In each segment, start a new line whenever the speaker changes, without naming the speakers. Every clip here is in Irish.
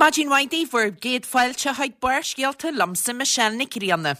Maidin mhaith daoibh, bhur gcéad fáilte chuig Barrscéalta liomsa Michelle Nic Grianna.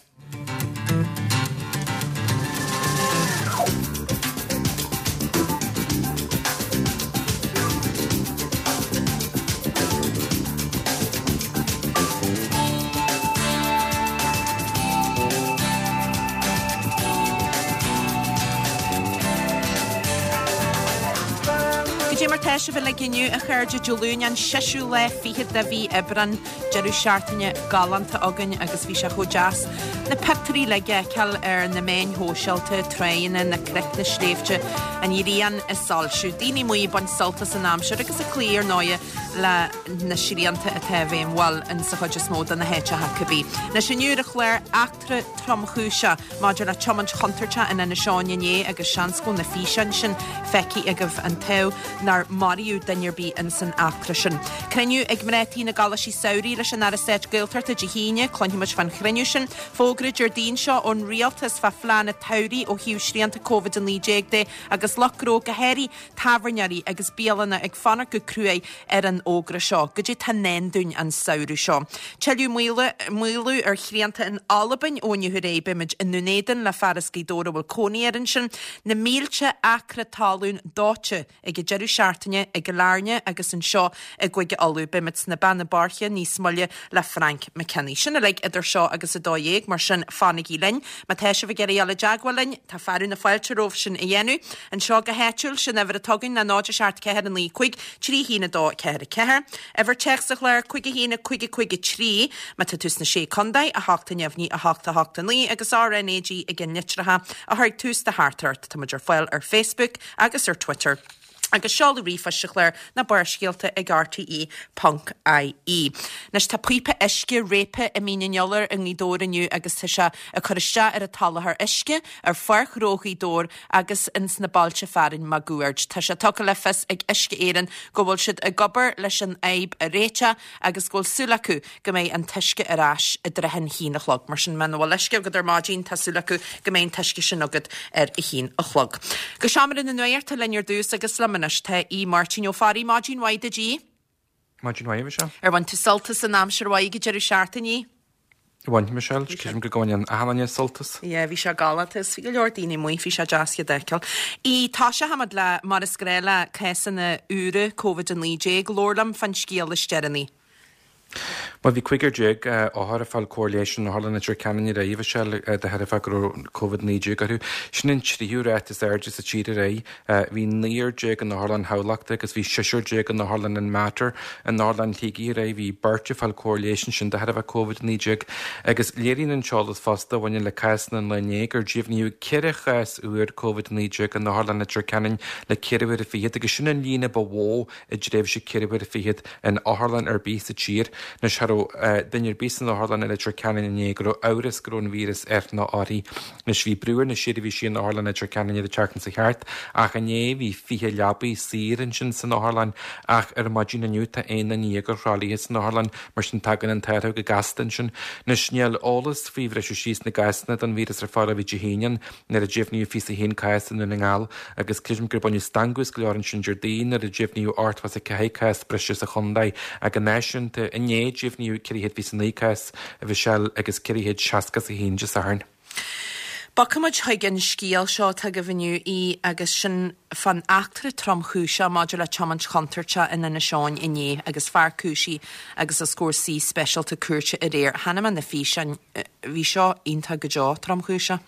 Goidé mar tá sibh uilig inniu, a chairde, Dé Luain an seisiú lá fichead de mhí Aibreán, deireadh seachtaine galánta againn agus bhí sé chomh deas na pictiúirí uilig a fheiceáil ar na meáin shóisialta, tránna, na cnoic, na sléibhte, an ghrian ag soilsiú, daoine amuigh ag baint sult as an aimsir agus ag cloí ar ndóighe le na srianta atá i bhfeidhm, bhuel, in sa chuid is mó de na háiteacha cibé. Anois inniu ar an chlár, eachtra tromchúiseach maidir le tiomáint chontúirteach in Inis Eoghain inné agus seans go bhfuil na físeáin sin feicthe agaibh an t-ádh nár maraíodh duine ar bith ins an eachtra sin. Cruinniú ag mná tí na gColáistí Samhraidh leis an Aire Stáit Gaeltachta Dé hAoine, cluinfimid fán chruinniú sin. Fógra Déardaoin seo ón Rialtas fá phlean an tsamhraidh ó thaobh srianta Covid-19 de agus lucht gnó go háirithe tábhairneoirí agus bialanna ag fanacht go cruaidh ar an fhógra seo. Goidé tá i ndán dúinn an samhradh seo. Tuilleadh maolú ar shrianta in Albain ó inniu ar aghaidh. Beimid i nDún Éideann le fear as Gaoth Dobhair a bhfuil cónaí air ansin. Na mílte acra talún dóite ag an deireadh seachtaine i gCill Airne agus anseo i gCúige Uladh. Beimid sna Beanna Boirche níos moille le Frank McKinney. Sin uilig idir seo agus 12, mar sin fanaigí linn. Má tá sibh ag iarraidh dul i dteagmháil linn, tá fearadh na fáilte romhaibh sin a dhéanamh. Anseo go háitiúil, sin uimhir atá againn ná 0 7 4 9 5 3 1 2 4 4. Uimhir téacs sa chlár 5 1 5 5 3. Má tá tú sna Sé Contae, 8 neamhní 8 8 9 agus RnaG i gceannlitreacha a chur ag tús do theachtaireacht. Tá muid ar fáil ar Facebook agus ar Twitter. Agus seoladh ríomhphoist sa chlár ná Barrscéalta ag rte ponc ie. Anois tá píopa uisce réabtha i Mín an Iolair i nGaoth Dobhair inniu agus tá sé ag cur isteach ar an tsoláthar uisce ar Pháirc Ghnó Ghaoth Dobhair agus ins na bailte fearainn máguaird. Tá sé tugtha le fios ag Uisce Éireann go bhfuil siad ag obair leis an fhadhb a réiteach agus go bhfuil súil acu go mbeidh an t-uisce ar ais i dtrátha an haon a chlog. Mar sin, muna bhfuil uisce agat ar maidin, tá súil acu go mbeidh an t-uisce sin agat ar a haon a chlog. Go seomra na nuachta linn ar dtús agus liom anois tá Aodh Máirtín Ó Fearraigh. Maidin mhaith duit, Aodh.
Maidin mhaith, a Mhichelle.
Ar bhain tú sult as an aimsir mhaith ag an deireadh seachtaine?
Bhain, Michelle. Creidim go mbaineann achan duine sult as.
Yeah, bhí sé galánta is bhí go leor daoine amuigh, bhí sé deas iad a fheiceáil. Aodh, tosóchaimid le, mar is gnáth, le cásanna úra Covid-19. Labhair liom fán scéal is deireanaí.
Bhuel, bhí 15 othar ag fáil cóir leighis in Otharlann Leitir Ceanainn aréir, a Mhichelle, de thairbhe go raibh Covid-19 orthu. Sin an tríú ráta is airde sa tír aréir. Bhí naonúr déag in Otharlann Thamhlachta agus bhí seisear déag in Otharlann an Mater. In Otharlann Shligigh aréir, bhí beirt ag fáil cóir leighis ansin de thairbhe Covid-19. Agus léiríonn an t-eolas fosta a bhaineann le cásanna an lae inné gur deimhníodh 4 chás úr Covid-19 in Otharlann Leitir Ceanainn le ceithre huaire fichead agus sin an líon a ba mhó i dtréimhse ceithre huaire fichead in otharlann ar bith sa tír. Anois, cha raibh duine ar bith san otharlann i Leitir Ceanainn inné go raibh amhras go raibh an víreas air nó uirthi. Anois, bhí brú ar na seirbhísí in Otharlann Leitir Ceanainn an tseachtain seo thart ach inné bhí 20 leabaidh saor ansin san otharlann ach ar maidin inniu tá 11 duine ar thralaithe san otharlann mar sin tagann an t-athrú go gasta ansin. Anois, níl eolas faoi bhriseadh síos na gcásanna don víreas ar fáil ó bhí Dé hAoine ann. nuair a deimhníodh 21 cás i nDún na nGall agus creidim gur baineadh stangadh as go leor ansin Déardaoin nuair a deimhníodh 84 cás breise sa chontae ach an náisiúnta. Inné deimhníodh 429 cás, a Mhichelle, agus 461 Dé Sathairn.
Bogfaimid chuig an scéal seo atá agaibh inniu, Aodh, agus sin fán eachtra tromchúiseach maidir le tiomáint chontúirteach in Inis Eoghain inné agus fear cúisithe agus os comhair suí speisialta cúirte aréir. Chonaic mé na físeáin, bhí seo iontach go deo tromchúiseach.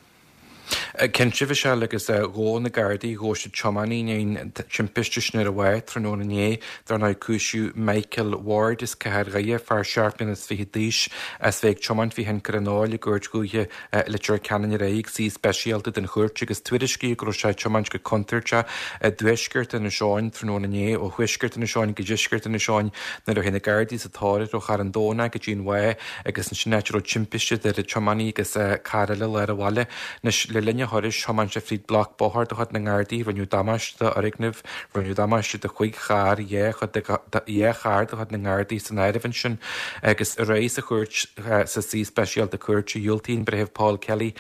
Cinnte, a Mhichelle, agus ghabh na Gardaí, ghabh siad tiománaí i ndiaidh an timpiste sin ar an bhá tráthnóna inné. Dar ndóigh, cúisíodh Michael Ward as Cathair Dhoire, fear seacht mbliana is fichead d'aois, as bheith ag tiomáint faoi thionchar an óil i gCúirt Dhúiche Leitir Ceanainn aréir ag suí speisialta den chúirt agus tuairiscíodh go raibh sé ag tiomáint go contúirteach i dtuaisceart Inis Eoghain tráthnóna inné, ó thuaisceart Inis Eoghain go deisceart Inis Eoghain nuair a chuaigh na Gardaí sa tóir air ó Charn Domhnach go dtí an Bhá. agus ansin áit a raibh timpiste idir an tiománaí agus carr eile i lár an bhaile. Anois, le linn a. a thurais, thiomáin sé fríd bloc bóthair de chuid na nGardaí, rinneadh damáiste d'fhoirgneamh, rinneadh damáiste do chúig charr, dhá chuid de dhá charr de chuid na nGardaí san áireamh ansin. Agus aréir sa chúirt, sa suí speisialta cúirte, dhiúltaigh an Breitheamh Paul Kelly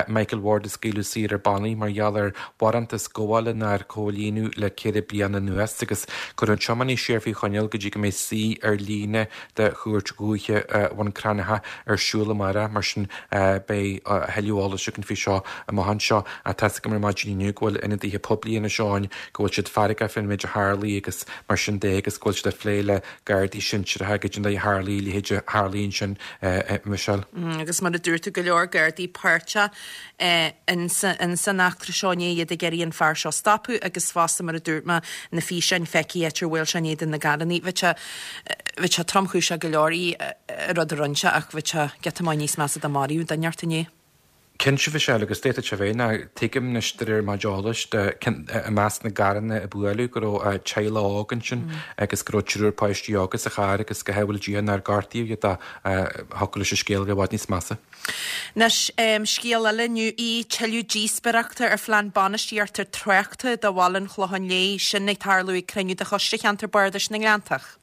Michael Ward a scaoileadh saor ar bannaí mar gheall ar bharántas gabhála nár comhlíonadh le ceithre bliana anuas agus cuireadh an tiománaí siar faoi choinneáil go dtí go mbeidh suí ar líne de Chúirt Dhúiche Bhun Cranncha ar siúl amárach. Mar sin beidh a thuilleadh eolais againn faoi seo amach anseo. Tá's agam ar maidin inniu go bhfuil ionadaithe poiblí Inis Eoghain go bhfuil siad feargach faoin méid a tharlaigh agus mar sin de agus go bhfuil siad ag plé le Gardaí sinsearacha goidé an dóigh a tharlaigh a leithéid a tharlaigh ansin, Michelle.
Agus mar a dúirt tú, go leor Gardaí páirteach ins an eachtra seo inné, iad ag iarraidh an fear seo a stopadh agus fosta mar a dúirt mé, na físeáin feicthe áit ar bhuail sé in éadan na gcarrannaí. Bheadh sé, bheadh sé tromchúiseach go leor an rud a rinne sé ach bheadh sé giota maith níos measa dá maraíodh duine inteacht inné.
Cinnte, Michelle, agus d'fhéadfadh sé bheith, ná tuigim anois de réir mo chuid eolais, i measc na gcarranna a buaileadh go raibh teaghlach óg ansin agus go raibh triúr páistí óga sa charr agus go shábháil Dia nár gortaíodh iad ach thiocfadh leis an scéal a bheith i bhfad níos measa.
Anois, scéal eile inniu í, tuilleadh díospóireachta ar phlean bainistíochta tráchta do bhaile an Chlocháin Léith, sin ag tarlú ag cruinniú de Choiste Cheantar Bardais na nGleanntach.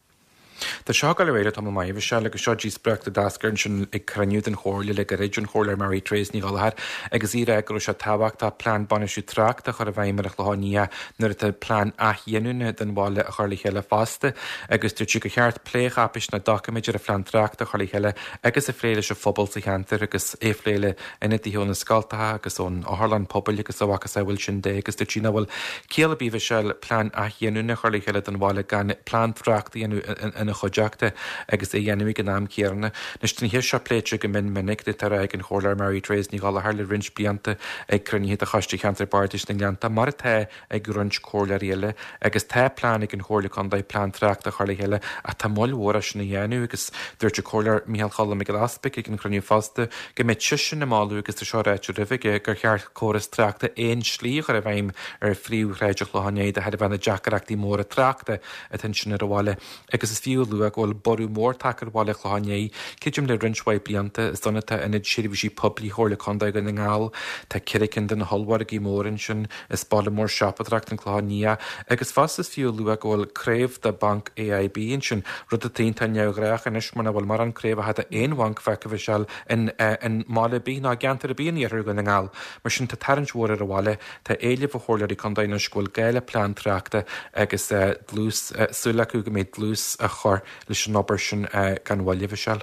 Tá seo ag dul ar aghaidh le tamall maith, Michelle, agus seo díospóireacht a d'eascair ansin ag cruinniú den Chomhairle le gairid, ón Chomhairleoir Mary Therese Ní Ghallchóir, agus í ag rá go raibh sé tábhachtach plean bainistiú tráchta a chur i bhfeidhm ar an Chlochán Liath nuair atá plean athghiniúna don bhaile á chur le chéile fosta agus dúirt sí gur cheart plécháipéis nó doiciméid ar an phlean tráchta a chur le chéile agus a phlé leis an phobal sa cheantar agus é a phlé le ionadaithe ó na scoltacha agus ón otharlann pobail agus a mhacasamhail sin de agus dúirt sí nach bhfuil ciall ar bith Michelle plean athghiniúna a chur le chéile don bhaile gan plean tráchta a dhéanamh ina chuideachta agus é a dhéanamh ag an am céanna. Anois tá an cheist seo pléite go mion minic atá á rá ag an Chomhairleoir Mary Therese Ní Ghallchóir le roinnt blianta ag cruinnithe de Choiste Cheantar Bardais na nGleanntach mar atá ag roinnt comhairleoirí eile agus tá plean ag an Chomhairle Contae plean tráchta a chur le chéile ach tá moill mhór é sin a dhéanamh agus dúirt an Comhairleoir Micheál Cholm Mac Giolla Easpaig ag an chruinniú fosta go mbeadh seisean ag moladh agus tá seo ráite roimhe aige gur cheart córas tráchta aon slí a chur i bhfeidhm ar phríomhshráid an Chlocháin Léith de thairbhe na deacrachtaí móra tráchta atá ansin ar an bhaile. Agus is fiú a lua go bhfuil borradh mór tagtha ar bhaile an Chlocháin Léith, creidim le roinnt mhaith blianta. Is ann atá Ionad Seirbhísí Poiblí Chomhairle Contae Dhún na nGall. Tá ceithre cinn de na hollmhargaí móra ansin. Is baile mór siopadóireachta an Clochán Liath. Agus fosta is fiú a lua go bhfuil craobh de Bhanc AIB ansin, rud atá iontach neamhghnách anois mar nach bhfuil mórán craobhacha d'aon bhanc feicthe Michelle in mbaile ar bith ná i gceantar ar bith in iarthar Dhún na nGall. Mar sin tá tarraingt mhór ar an bhaile. Tá éileamh ó chomhairleoirí contae anois go bhfuil gá le plean tráchta agus dlús, súil acu go mbeidh dlús á chur leis an obair sin gan mhoill, a Mhichelle.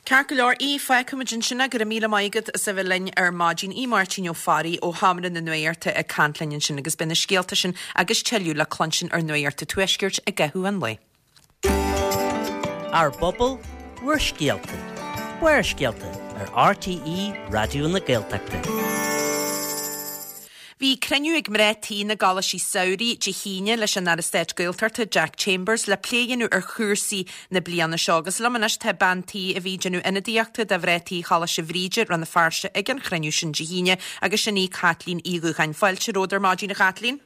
Ceart go leor, í, fágfaimid ansin é. Go raibh míle maith agat as a bheith linn ar maidin. Í Máirtín Ó Fearraigh ó Sheomra na Nuachta ag caint linn ansin agus beidh na scéalta sin agus tuilleadh le cluinstin ar Nuacht an Tuaiscirt i gcaitheamh an lae.
Ár bpobal, bhur scéalta. Barrscéalta ar RTÉ Raidió na Gaeltachta.
Bhí cruinniú ag mná tí na gColáistí Samhraidh Dé hAoine leis an Aire Stáit Gaeltachta Jack Chambers le plé a dhéanamh ar chúrsaí na bliana seo agus liom anois tá bean tí a bhí ag déanamh ionadaíochta do mhná tí Choláiste Bhríde, Rann na Feirste ag an chruinniú sin Dé hAoine agus sin í Caitlín Uí Dhúcháin. Fáilte romhat ar maidin a Chaitlín.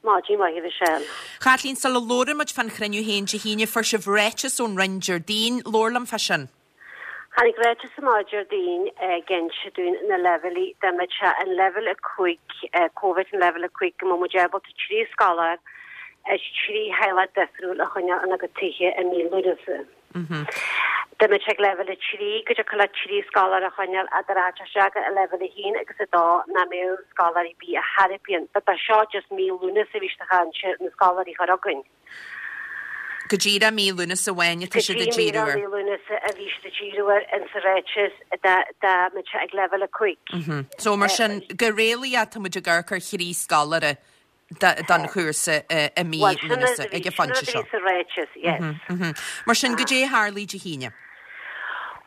Maidin mhaith a Mhichelle.
Chaitlín, sula labhrann muid fán chruinniú féin Dé hAoine, fuair sibh ráiteas ón Roinn Déardaoin. Labhair liom fá sin.
Tháinig ráiteas amach Déardaoin ag inse dúinn na leibhéilí, dá mbeadh sé an leibhéal 5, Covid an leibhéal 5, go mbeadh muid ábalta 3 scoláire as 3 theaghlach difriúil a choinneáil ina gcuid tithe i mí Lúnasa. Dá mbeadh sé ag leibhéal 3, go dtiocfadh leat 3 scoláire a choinneáil ach dá rachadh sé isteach i leibhéal 1 agus 2 nach mbeadh scoláirí ar bith ar chor ar bith ann. But ba seo just mí Lúnasa a bhí siad ag caint na scoláirí a chur chugainn.
Go díreach mí Lúnasa amháin atá siad ag díriú
air. Go dtí mí Lúnasa a bhí siad ag díriú air in sa ráiteas dá mbeadh sé ag leibhéal 5.
So mar sin, go réalaíoch tá muid ag amharc ar thrí scoláire don chúrsa i mí Lúnasa ag an phointe
seo. Bhuel, sin a bhí sa ráiteas, yes.
Mar sin, goidé a tharlaigh Dé hAoine?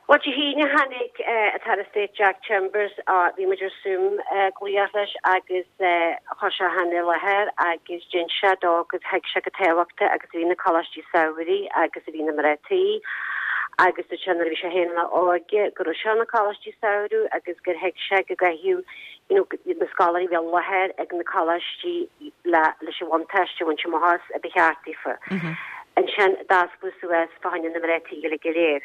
Bhuel, Dé hAoine tháinig an tAire Stáit Jack Chambers, bhí muid ar Zoom glaoch leis agus chuir sé féin i láthair agus d'inis sé dó go thuig sé chomh tábhachtach agus a bhí na coláistí samhraidh agus a bhí na mná tí agus dúirt sé nuair a bhí sé féin ina óige go raibh sé na coláistí samhraidh agus gur thuig sé go gcaithfeadh you know, na scoláirí a bheith i láthair ag na coláistí le leis an bhuntáiste a bhaint amach as a ba cheart daofa. Ansin d'osclaíodh suas fá choinne na mná tí uilig go léir.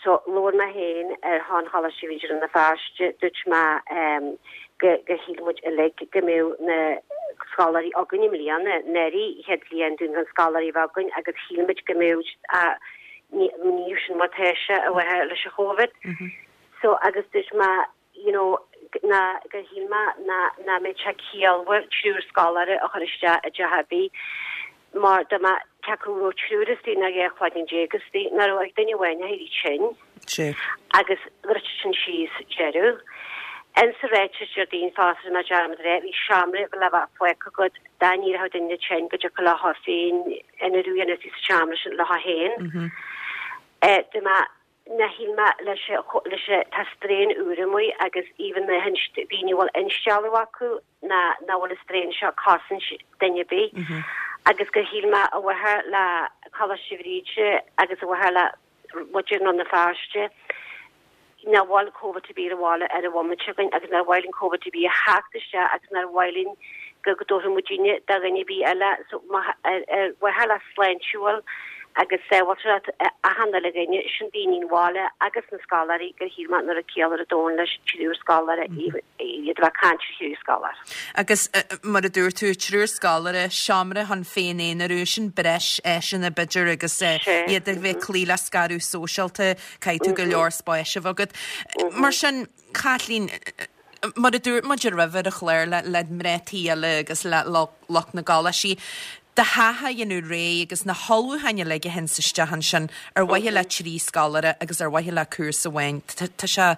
So labhair mé féin ar shon Choláiste Bhríde Rann na Feirste, dúirt mé. go gur shíl muid uilig go mbeadh na scoláirí againn i mbliana, anuraidh chéad bhliain dúinn gan scoláirí a bheith againn agus shíl muid go mbeadh ní níl sin mar tá sé a bheith leis an Chóivid. So agus dúirt mé you know ná gur shíl mé ná nach mbeadh sé ciallmhar triúr scoláire a chur isteach i dteach ar bith mar dá mbeadh cé acu raibh triúr istigh nó 12 cloigeann istigh nach raibh ach duine amháin ag éirí tinn.
Sea.
Agus dhruid sin síos deireadh. Insa ráiteas Déardaoin fosta rinne mé dearmad a rá, bhí seomra le bheith fágtha agat dá n-éireodh duine tinn go dtiocfadh leo féin aonarú a dhéanamh sa seomra sin leo féin. Dá mbeadh ná shíl mé leis leis tá strain úr amuigh agus even na daoine a bhfuil instealladh acu ná nach bhfuil an strain seo ag cosaint duine ar bith agus gur shíl mé ar mhaithe le Coláiste Bhríde agus ar mhaithe le muintir Rann na Feirste nár bhfuil Covid ar bith ar an bhaile ar an bhomaite againn agus nár mhaith linn Covid ar bith a theacht isteach agus nár mhaith linn go go dtabharfadh muidinne do dhuine ar bith eile so ar mhaithe le sláintiúil agus sábháilteacht achan uile dhuine, sin daoine an bhaile agus na scoláirí gur shíl mé nach raibh ciall ar domhan leis triúr scoláire iad a bheith ag caint ar thriúr scoláire.
Agus mar a dúirt tú, triúr scoláire, seomra chun féin-aonarú, sin breis áiseanna b'fhéidir agus iad a bheith ag cloí le scaradh sóisialta, caithfidh tú go leor spáis a bheith agat. Mar sin, Caitlín, mar a dúirt muid roimhe ar an chlár le mná tí eile agus le lucht na gcoláistí, do theach a dhéanamh réidh agus na hullmhúcháin uilig a théanns isteach ansin ar mhaithe le trí scoláire agus ar mhaithe le cúrsa amháin, tá sé,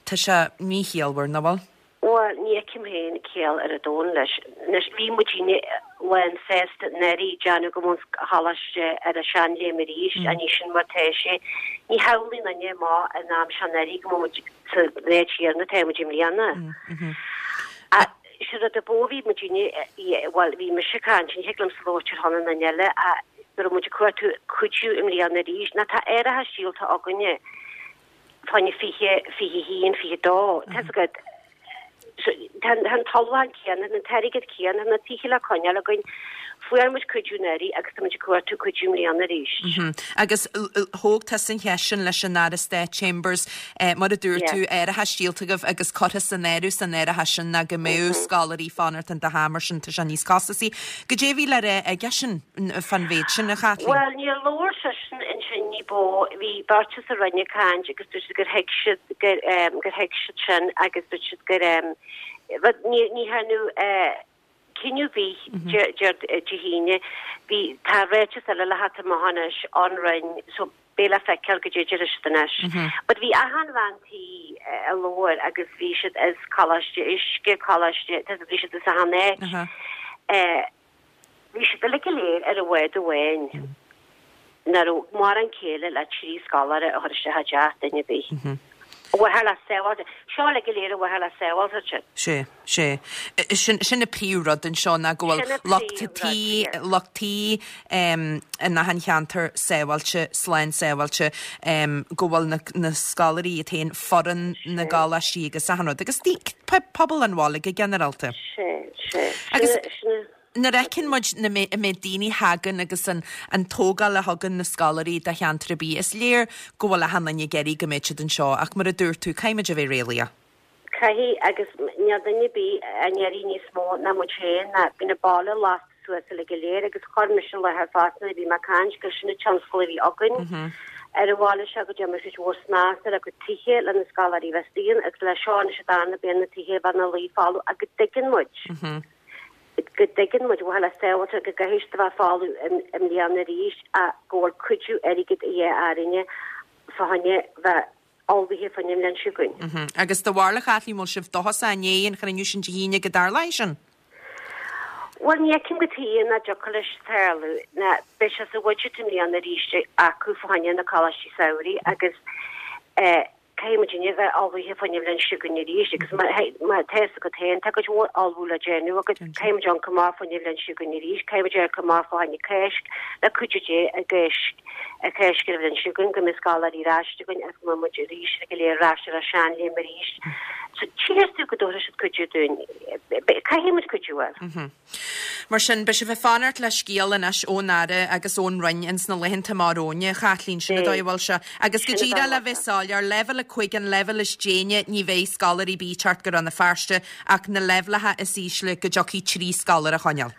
tá sé míchiallmhar, nach bhfuil?
Bhuel, ní fheicim féin ciall ar domhan leis. Anois, bhí muidinne lán sásta anuraidh déanamh go mbeadh an choláiste ar an seanléim arís, ach ní sin mar tá sé. Ní shamhlaíonn duine amach in am seo anuraidh go mbeadh muid sa áit chéanna atá muid i mbliana. Ach sé rud a ba mhó bhí muidinne, bhuel, bhí mise ag caint, ní thig liomsa labhairt ar shon an duine eile, ach go raibh muid ag cuartú cuidiú i mbliana arís. Ná tá árachas díolta againne. Fá choinne 20, 21, 22, tá 'fhios agat, tá an t-ullmhúchán céanna, an t-airgead céanna, na tithe le coinneáil againn. Fuair muid cuidiú anuraidh agus tá muid ag cuartú cuidiú i mbliana arís.
Agus thóg tusa an cheist sin leis an Aire Stáit Chambers, mar a dúirt tú, árachas díolta agaibh agus curtha san áireamh san árachas sin ná go mbeadh scoláirí fanacht in do theach mar sin tá sé níos costasaí. Goidé a bhí le rá aigesean fán mhéid sin, a Chaitlín?
Bhuel, níor labhair seisean ansin ní ba mhó. Bhí beirt as an Roinn ag caint agus dúirt siad gur thuig siad gur gur thuig siad sin agus dúirt siad gur rud ní ní dhearnadh cinneadh ar bith Dé hAoine. Bhí tá ráiteas eile le theacht amach anois ón Roinn so beidh le feiceáil goidé a déarfaidh siad anois. But bhí achan bhean tí a labhair agus bhí siad as Coláiste Uisce, Coláiste, bhí siad as achan áit. Bhí siad uilig go léir ar an bhád amháin. Nach raibh mórán céille le trí scoláire a chur isteach i dteach duine ar bith. Ar mhaithe le sábháilte. Seo uilig go léir ar mhaithe le sábháilteacht.
Sea. Sea. Sin, sin an príomh-rud anseo ná go bhfuil lucht tí, lucht tí in achan cheantar sábháilte, slán sábháilte, go bhfuil na, na scoláirí iad féin, foireann na gcoláistí agus achan rud, agus pobal an bhaile go ginearálta.
Sea, sea.
Agus nuair a fheiceann muid na, an méid daoine a thagann agus an, an tógáil a thugann na scoláirí do cheantar ar bith, is léir go bhfuil achan duine ag iarraidh go mbeidh siad anseo ach mar a dúirt tú, caithfidh muid a bheith réalaíoch.
Caithfidh, agus níl duine ar bith á iarraidh níos mó ná muid féin, ná bíonn an baile lasta suas uilig go léir agus chuir mise i láthair fosta nuair a bhí mé ag caint gur sin an tionscal a bhí againn ar an bhaile seo go dtéann muid cuid mhór snas ar a gcuid tithe le na scoláirí a bheith istigh ann agus le seo anois an darna bliain na tithe a bheith ina luí folamh ach go dtuigeann muid go dtuigeann muid ar mhaithe le sábháilteacht go gcaithfidh siad a bheith folamh i mbliana arís ach go bhfuil cuidiú airgid a dhíth orainne fá choinne bheith ullmhaithe fá choinne an bhliain seo chugainn.
Agus do bharúil, a Chaitlín, bhfuil sibh dóchasach i ndiaidh an chruinniú sin Dé hAoine go dtarlóidh sin?
Bhuel, ní fheicim cad chuige nach dtiocfadh leis tarlú. Ná beidh sé sa bhudget i mbliana arís acu fá choinne na coláistí samhraidh agus eh, caithfidh muidinne a bheith ullmhaithe fá choinne an bhliain seo chugainn arís agus má má tá fhios agat féin tá cuid mhór ullmhú le déanamh agus caithfidh muid amharc amach fá choinne an bhliain seo chugainn arís, caithfidh muid amharc amach fá choinne Cáisc le cuidiú Dé i gCáisc. Ar Cháisc an bhliain seo chugainn go mbeidh scoláirí ar ais againn agus go mbeidh muid arís go léir ar ais ar ár seanléim arís. So tchífidh tú go dtabharfaidh siad cuidiú dúinn. Caithfidh muid cuidiú a fháil.
Mar sin, beidh sibh ag fanacht le scéal anois ón Aire agus ón Roinn ins na laethanta amach romhainn, a Chaitlín, sin an dóigh a bhfuil sé. Agus go díreach le bheith soiléir, leibhéal 5 an leibhéal is déine, ní bheidh scoláirí ar bith ag teacht go Rann na Feirste ach na leibhéalacha is ísle go dtiocfaidh 3 scoláire a choinneáil.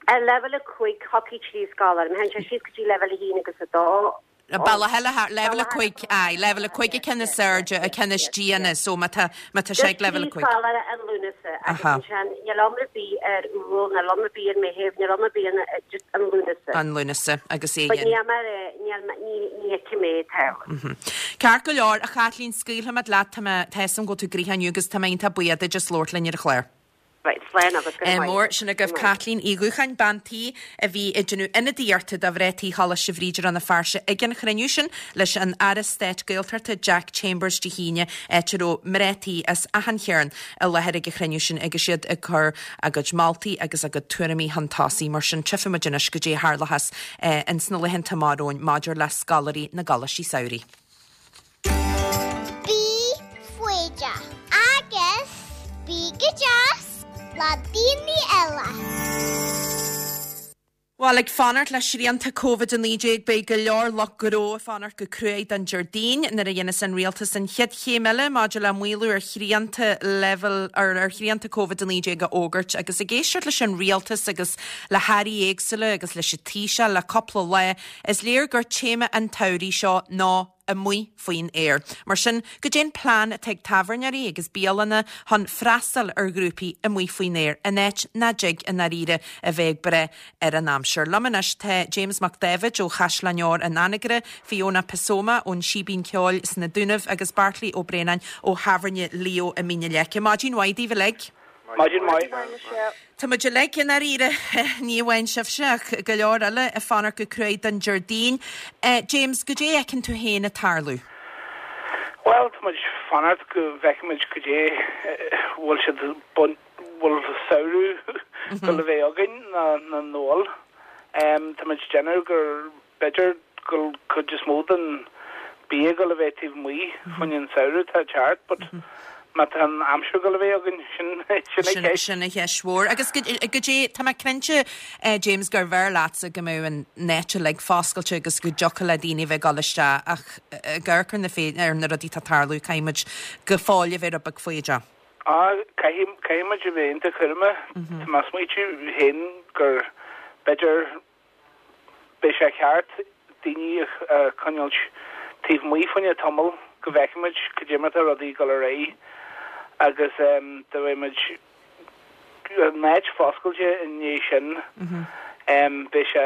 Ar leibhéal 5, thiocfaidh 3 scoláire. Má théann sé síos go dtí leibhéal 1 agus 2,
Bealach eile thar, leibhéal 5, aye, leibhéal 5 an ceann is airde, an ceann is déine, so má tá, má tá sé ag leibhéal 5.
Just 3 scoláire ar Lúnasa agus ansin níl iomrá ar bith ar Iúil, níl iomrá ar bith ar Mheitheamh, níl iomrá ar bith ar just an Lúnasa.
An Lúnasa agus é
But níl mar é, níl, ní, ní fheicim é ag tarlú.
Ceart go leor, a Chaitlín, scaoilfimid leat, tá mé, tá 'fhios a'm go bhfuil tú gnoitheach inniu agus tá mé iontach buíoch duit as labhairt linn ar an chlár.
Right, slán agus go raibh maith.
Mór, sin agaibh Caitlín Uí Dhúcháin, bean tí a bhí ag déanamh ionadaíochta do mhná tí Choláiste Bhríde Rann na Feirste ag an chruinniú sin leis an Aire Stáit Gaeltachta Jack Chambers Dé hAoine, áit a raibh mná tí as achan chearn i láthair ag an chruinniú sin agus iad ag cur a gcuid moltaí agus a gcuid tuairimí chun tosaigh. Mar sin, tchífimid anois goidé a tharlóchas ins na laethanta amach romhainn maidir le scoláirí na gcoláistí samhraidh.
Bí foighdeach agus bí go deas le daoine eile.
Bhuel, ag fanacht le srianta Covid-19, beidh go leor lucht gnó ag fanacht go cruaidh don Déardaoin nuair a dhéanfas an Rialtas an chéad chéim eile maidir le maolú ar shrianta leibhéal ar ar shrianta Covid-19 a fhógairt. Agus ag éisteacht leis an Rialtas agus le hairí éagsúla agus leis an Taoiseach le cúpla lá, Is léir gur téama an tsamhraidh seo ná amuigh faoin aer. Mar sin, goidé an plean atá ag tábhairneoirí agus bialanna chun freastal ar ghrúpaí amuigh faoin aer, in áit nach dtig i ndáiríre a bheith ag brath ar an aimsir? Liom anois tá James Mac Dáibhid ó Chaisleán Óir in Anagaire, Fiona Pasoma ón Síbín Ceoil sna Dúnaibh agus Beairtlí Ó Braonáin ó Thábhairne Leo i Mín na Leice. Maidin mhaith daoibh uilig.
Maidin mhaith.
Tá muid uilig i ndáiríre, ní amháin sibhse ach go leor eile, ag fanacht go cruaidh don Déardaoin. James, goidé a fheiceann tú féin ag tarlú?
Bhuel, tá muid ag fanacht go bhfeicfimid goidé bhfuil siad bhfuil samhradh ag dul a bheith againn nó nach bhfuil. Tá muid ag déanamh gur B'fhéidir go bhfuil cuid is mó den bia ag dul a bheith taobh amuigh fá choinne an samhradh atá ag teacht but má tá an aimsir ag dul a bheith againn, sin sin an cheist.
Sin an cheist mhór. Agus goidé, tá mé cinnte, James, gurbh fhearr leatsa go mbeadh an áit uilig foscailte agus go dtiocfadh le daoine a bheith ag dul isteach ach ag amharc ar na ar na rudaí atá ag tarlú, caithfidh muid go fóill a bheith rud beag foighdeach.
Á, caithfidh, caithfidh muid a bheith iontach cúramach. Tá mé ag smaoitiú féin gur b'fhéidir Beidh sé ceart daoine a choinneáilt taobh amuigh fá choinne tamall go bhfeicfimid cad é mar atá rudaí ag dul ar aghaidh agus dá mbeidh muid an áit foscailte i ndiaidh sin beidh sé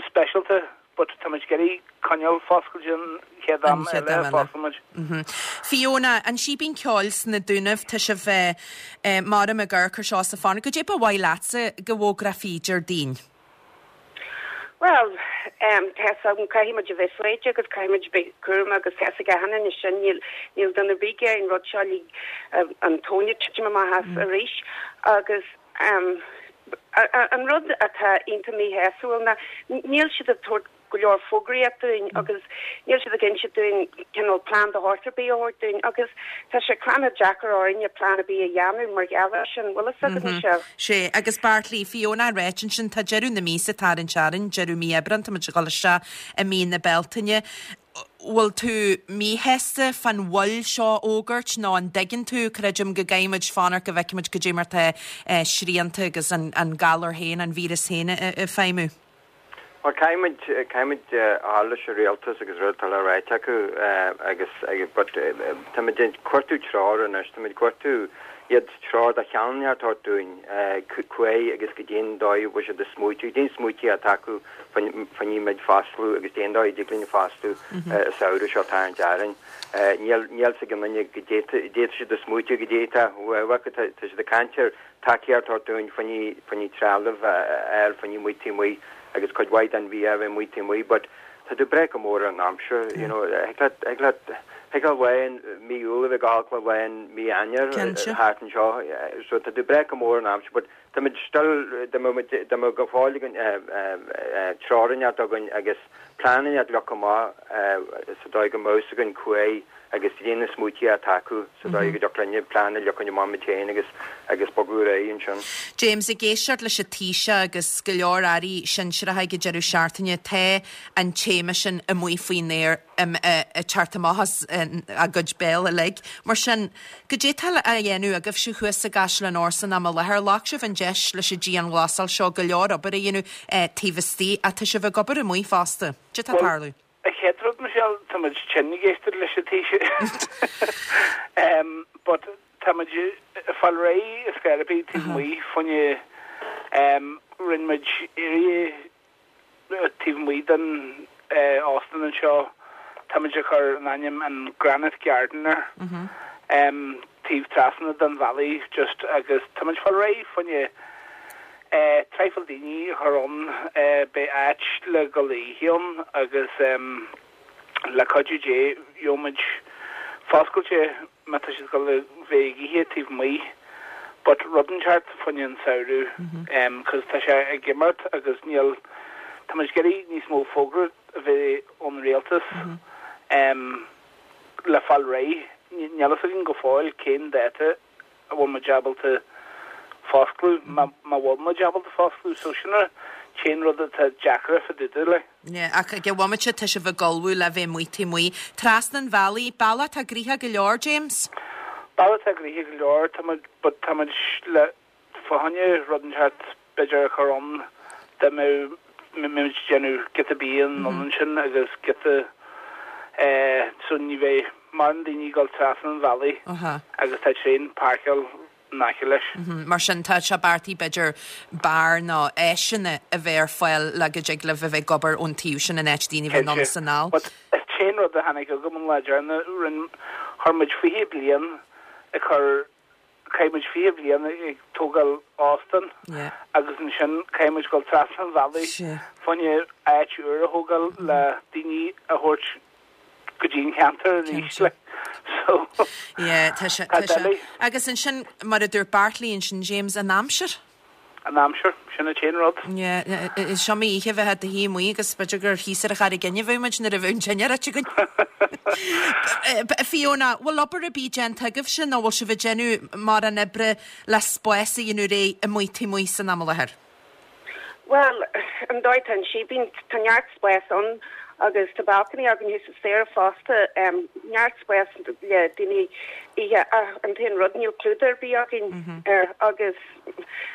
speisialta but tá muid ag iarraidh coinneáil foscailte an chéad am eile a fosclaíonn muid.
Fiona, an Síbín Ceoil sna Dúnaibh, tá sibh maram ag amharc ar seo is ag fanacht. Goidé ba mhaith leatsa go bhfógrófaí Déardaoin?
Bhuel, tá fhios agam, caithfidh muid a bheith foighdeach agus caithfidh muid a bheith cúramach agus tá fhios ag achan duine sin, níl, níl duine ar bith ag iarraidh an rud seo uilig, an tóin ag titim amach as arís agus an rud atá iontach míshásúil ná níl siad ag tabhairt go leor fógraíocht dúinn agus níl siad ag inse dúinn cineál plean de shórt ar bith a thabhairt dúinn agus tá sé cranncha deacair orainne plean ar bith a dhéanamh mar gheall air sin, bhfuil fhios agat Michelle?
Sea, agus Beairtlí, Fiona ag ráit ansin, tá deireadh na míosa ag tarraingt orainn, deireadh mí Aibreán, tá muid ag dul isteach i mí na Bealtaine. Bhfuil tú míshásta fán mhoill seo a fhógairt nó an dtuigeann tú, creidim go gcaithfidh muid fanacht go bhfeicfidh muid goidé mar tá srianta agus an galar féin, an víreas féin ag feidhmiú?
Bhuel, caithfimid, caithfimid a fháil leis an rialtas agus rud atá le ráit acu agus, but táimid ag cuartú treoir anois, táimid ag cuartú iad treoir de chineál a thabhairt dúinn cá fhaid agus goidé an dóigh a bhfuil siad ag smaoitiú, goidé an smaoitiú atá acu fá choinne muid fosclú agus goidé an dóigh a dtig linn fosclú an samhradh seo atá tarraingt orainn. Níl, níl 's ag aon duine goidé, goidé tá siad ag smaoitiú, goidé tá, tá siad ag caint ar tacaíocht a thabhairt dúinn fá choinne, fá choinne trealamh a fháil fá choinne amuigh taobh amuigh agus cuid mhaith den bhia a bheith amuigh taobh amuigh but tá tú ag brath go mór ar an aimsir you know thig leat, thig leat, thig leat lá in mí Iúil a bheith go holc le lá in mí Eanáir thart anseo so tá tú ag brath go mór ar an aimsir but. Táimid still, dá mbeadh muid, dá mbeadh go fóill againn treoir inteacht againn agus plean inteacht leagtha amach sa dóigh go mbeadh 's againn cá huair agus líon na smaoití atá acu sa dóigh go dtiocfadh linne plean a leagan amach muid féin agus agus bogadh ar aghaidh ansin.
James, ag éisteacht leis an Taoiseach agus go leor airí sinsearacha ag an deireadh seachtaine, tá an téama sin amuigh faoin aer ag teacht amach as a gcuid béil uilig. Mar sin, goidé atá á dhéanamh agaibhse thuas i gCaisleán Óir san am i láthair? Ghlac sibh an deis leis an dianghlasáil seo go leor obair a dhéanamh taobh istigh ach tá sibh ag obair amuigh fosta. Goidé atá ag
Bhuel,
tarlú?
An chéad rud, Michelle, tá muid tinn ag éisteacht leis an Taoiseach. But tá muid ag fáil réidh ar scor ar bith taobh amuigh fá choinne rinne muid area taobh amuigh den óstán anseo, tá muid ag cur an ainm an Granite Garden air, taobh trasna den bhealaigh just agus tá muid ag fáil réidh fá choinne traidhfil daoine a chur ann, beidh áit le dhul a ithe ann agus le cuidiú Dé gheobhaidh muid foscailte má tá siad ag dul a bheith ag ithe taobh amuigh but rud inteacht fá choinne an samhradh cos tá sé ag imeacht agus níl, tá muid ag iarraidh níos mó fógra a bheith ón rialtas le fáil réidh, níl fhios againn go fóill cén dáta a bhfuil muid ábalta foscladh, má bhfuil muid ábalta foscladh. So sin an t-aon rud atá deacair fá dtaobh de, like.
Yeah, ach ag an bhomaite tá sibh ag ullmhú le bheith amuigh taobh amuigh. Trasna an bhealaigh, bealach atá gnoitheach go leor, James?
Bealach atá gnoitheach go leor, tá muid, but tá muid le fá choinne rud inteacht b'fhéidir a chur ann dá mbeadh muid ag déanamh giota bia anonn ansin agus giota eh so ní bheidh mórán daoine ag dul trasna an bhealaigh agus tá traein páirceáil in aice leis.
Mar sin tá sé beartaithe b'fhéidir beár nó áiseanna a bheith ar fáil le go dtig libh a bheith ag obair ón taobh sin in áit daoine a bheith anonn is anall.
But an t-aon rud a tháinig chugam an lá deireanach, rinne, chuir muid 20 bliain ag cur Chaith muid 20 bliain ag tógáil óstán agus ansin caithfidh muid dul trasna an bhealaigh fá choinne áit úr a thógáil le daoine a thabhairt go dtí an cheantar arís like. So
Yeah, tá sé, tá sé. Agus ansin, mar a dúirt Bartley ansin, James, an aimsir.
An aimsir, sin an t-aon rud.
Yeah, is iomaí oíche a bheith i do shuí amuigh agus b'fhéidir gur thíos ar an Charraig Fhinn a bheadh muid nuair a bheadh an tine reoite againn. Fiona, bhfuil obair ar bith déanta agaibhse nó bhfuil sibh ag déanamh mórán oibre le spás a dhéanamh réidh amuigh taobh amuigh san am i láthair?
Bhuel, an dóigh atá an síbín, tá neart spáis ann agus tá balcony againn thuas sa staighre fosta, neart spáis le daoine ithe ach an t-aon rud níl clúdach ar bith againn air agus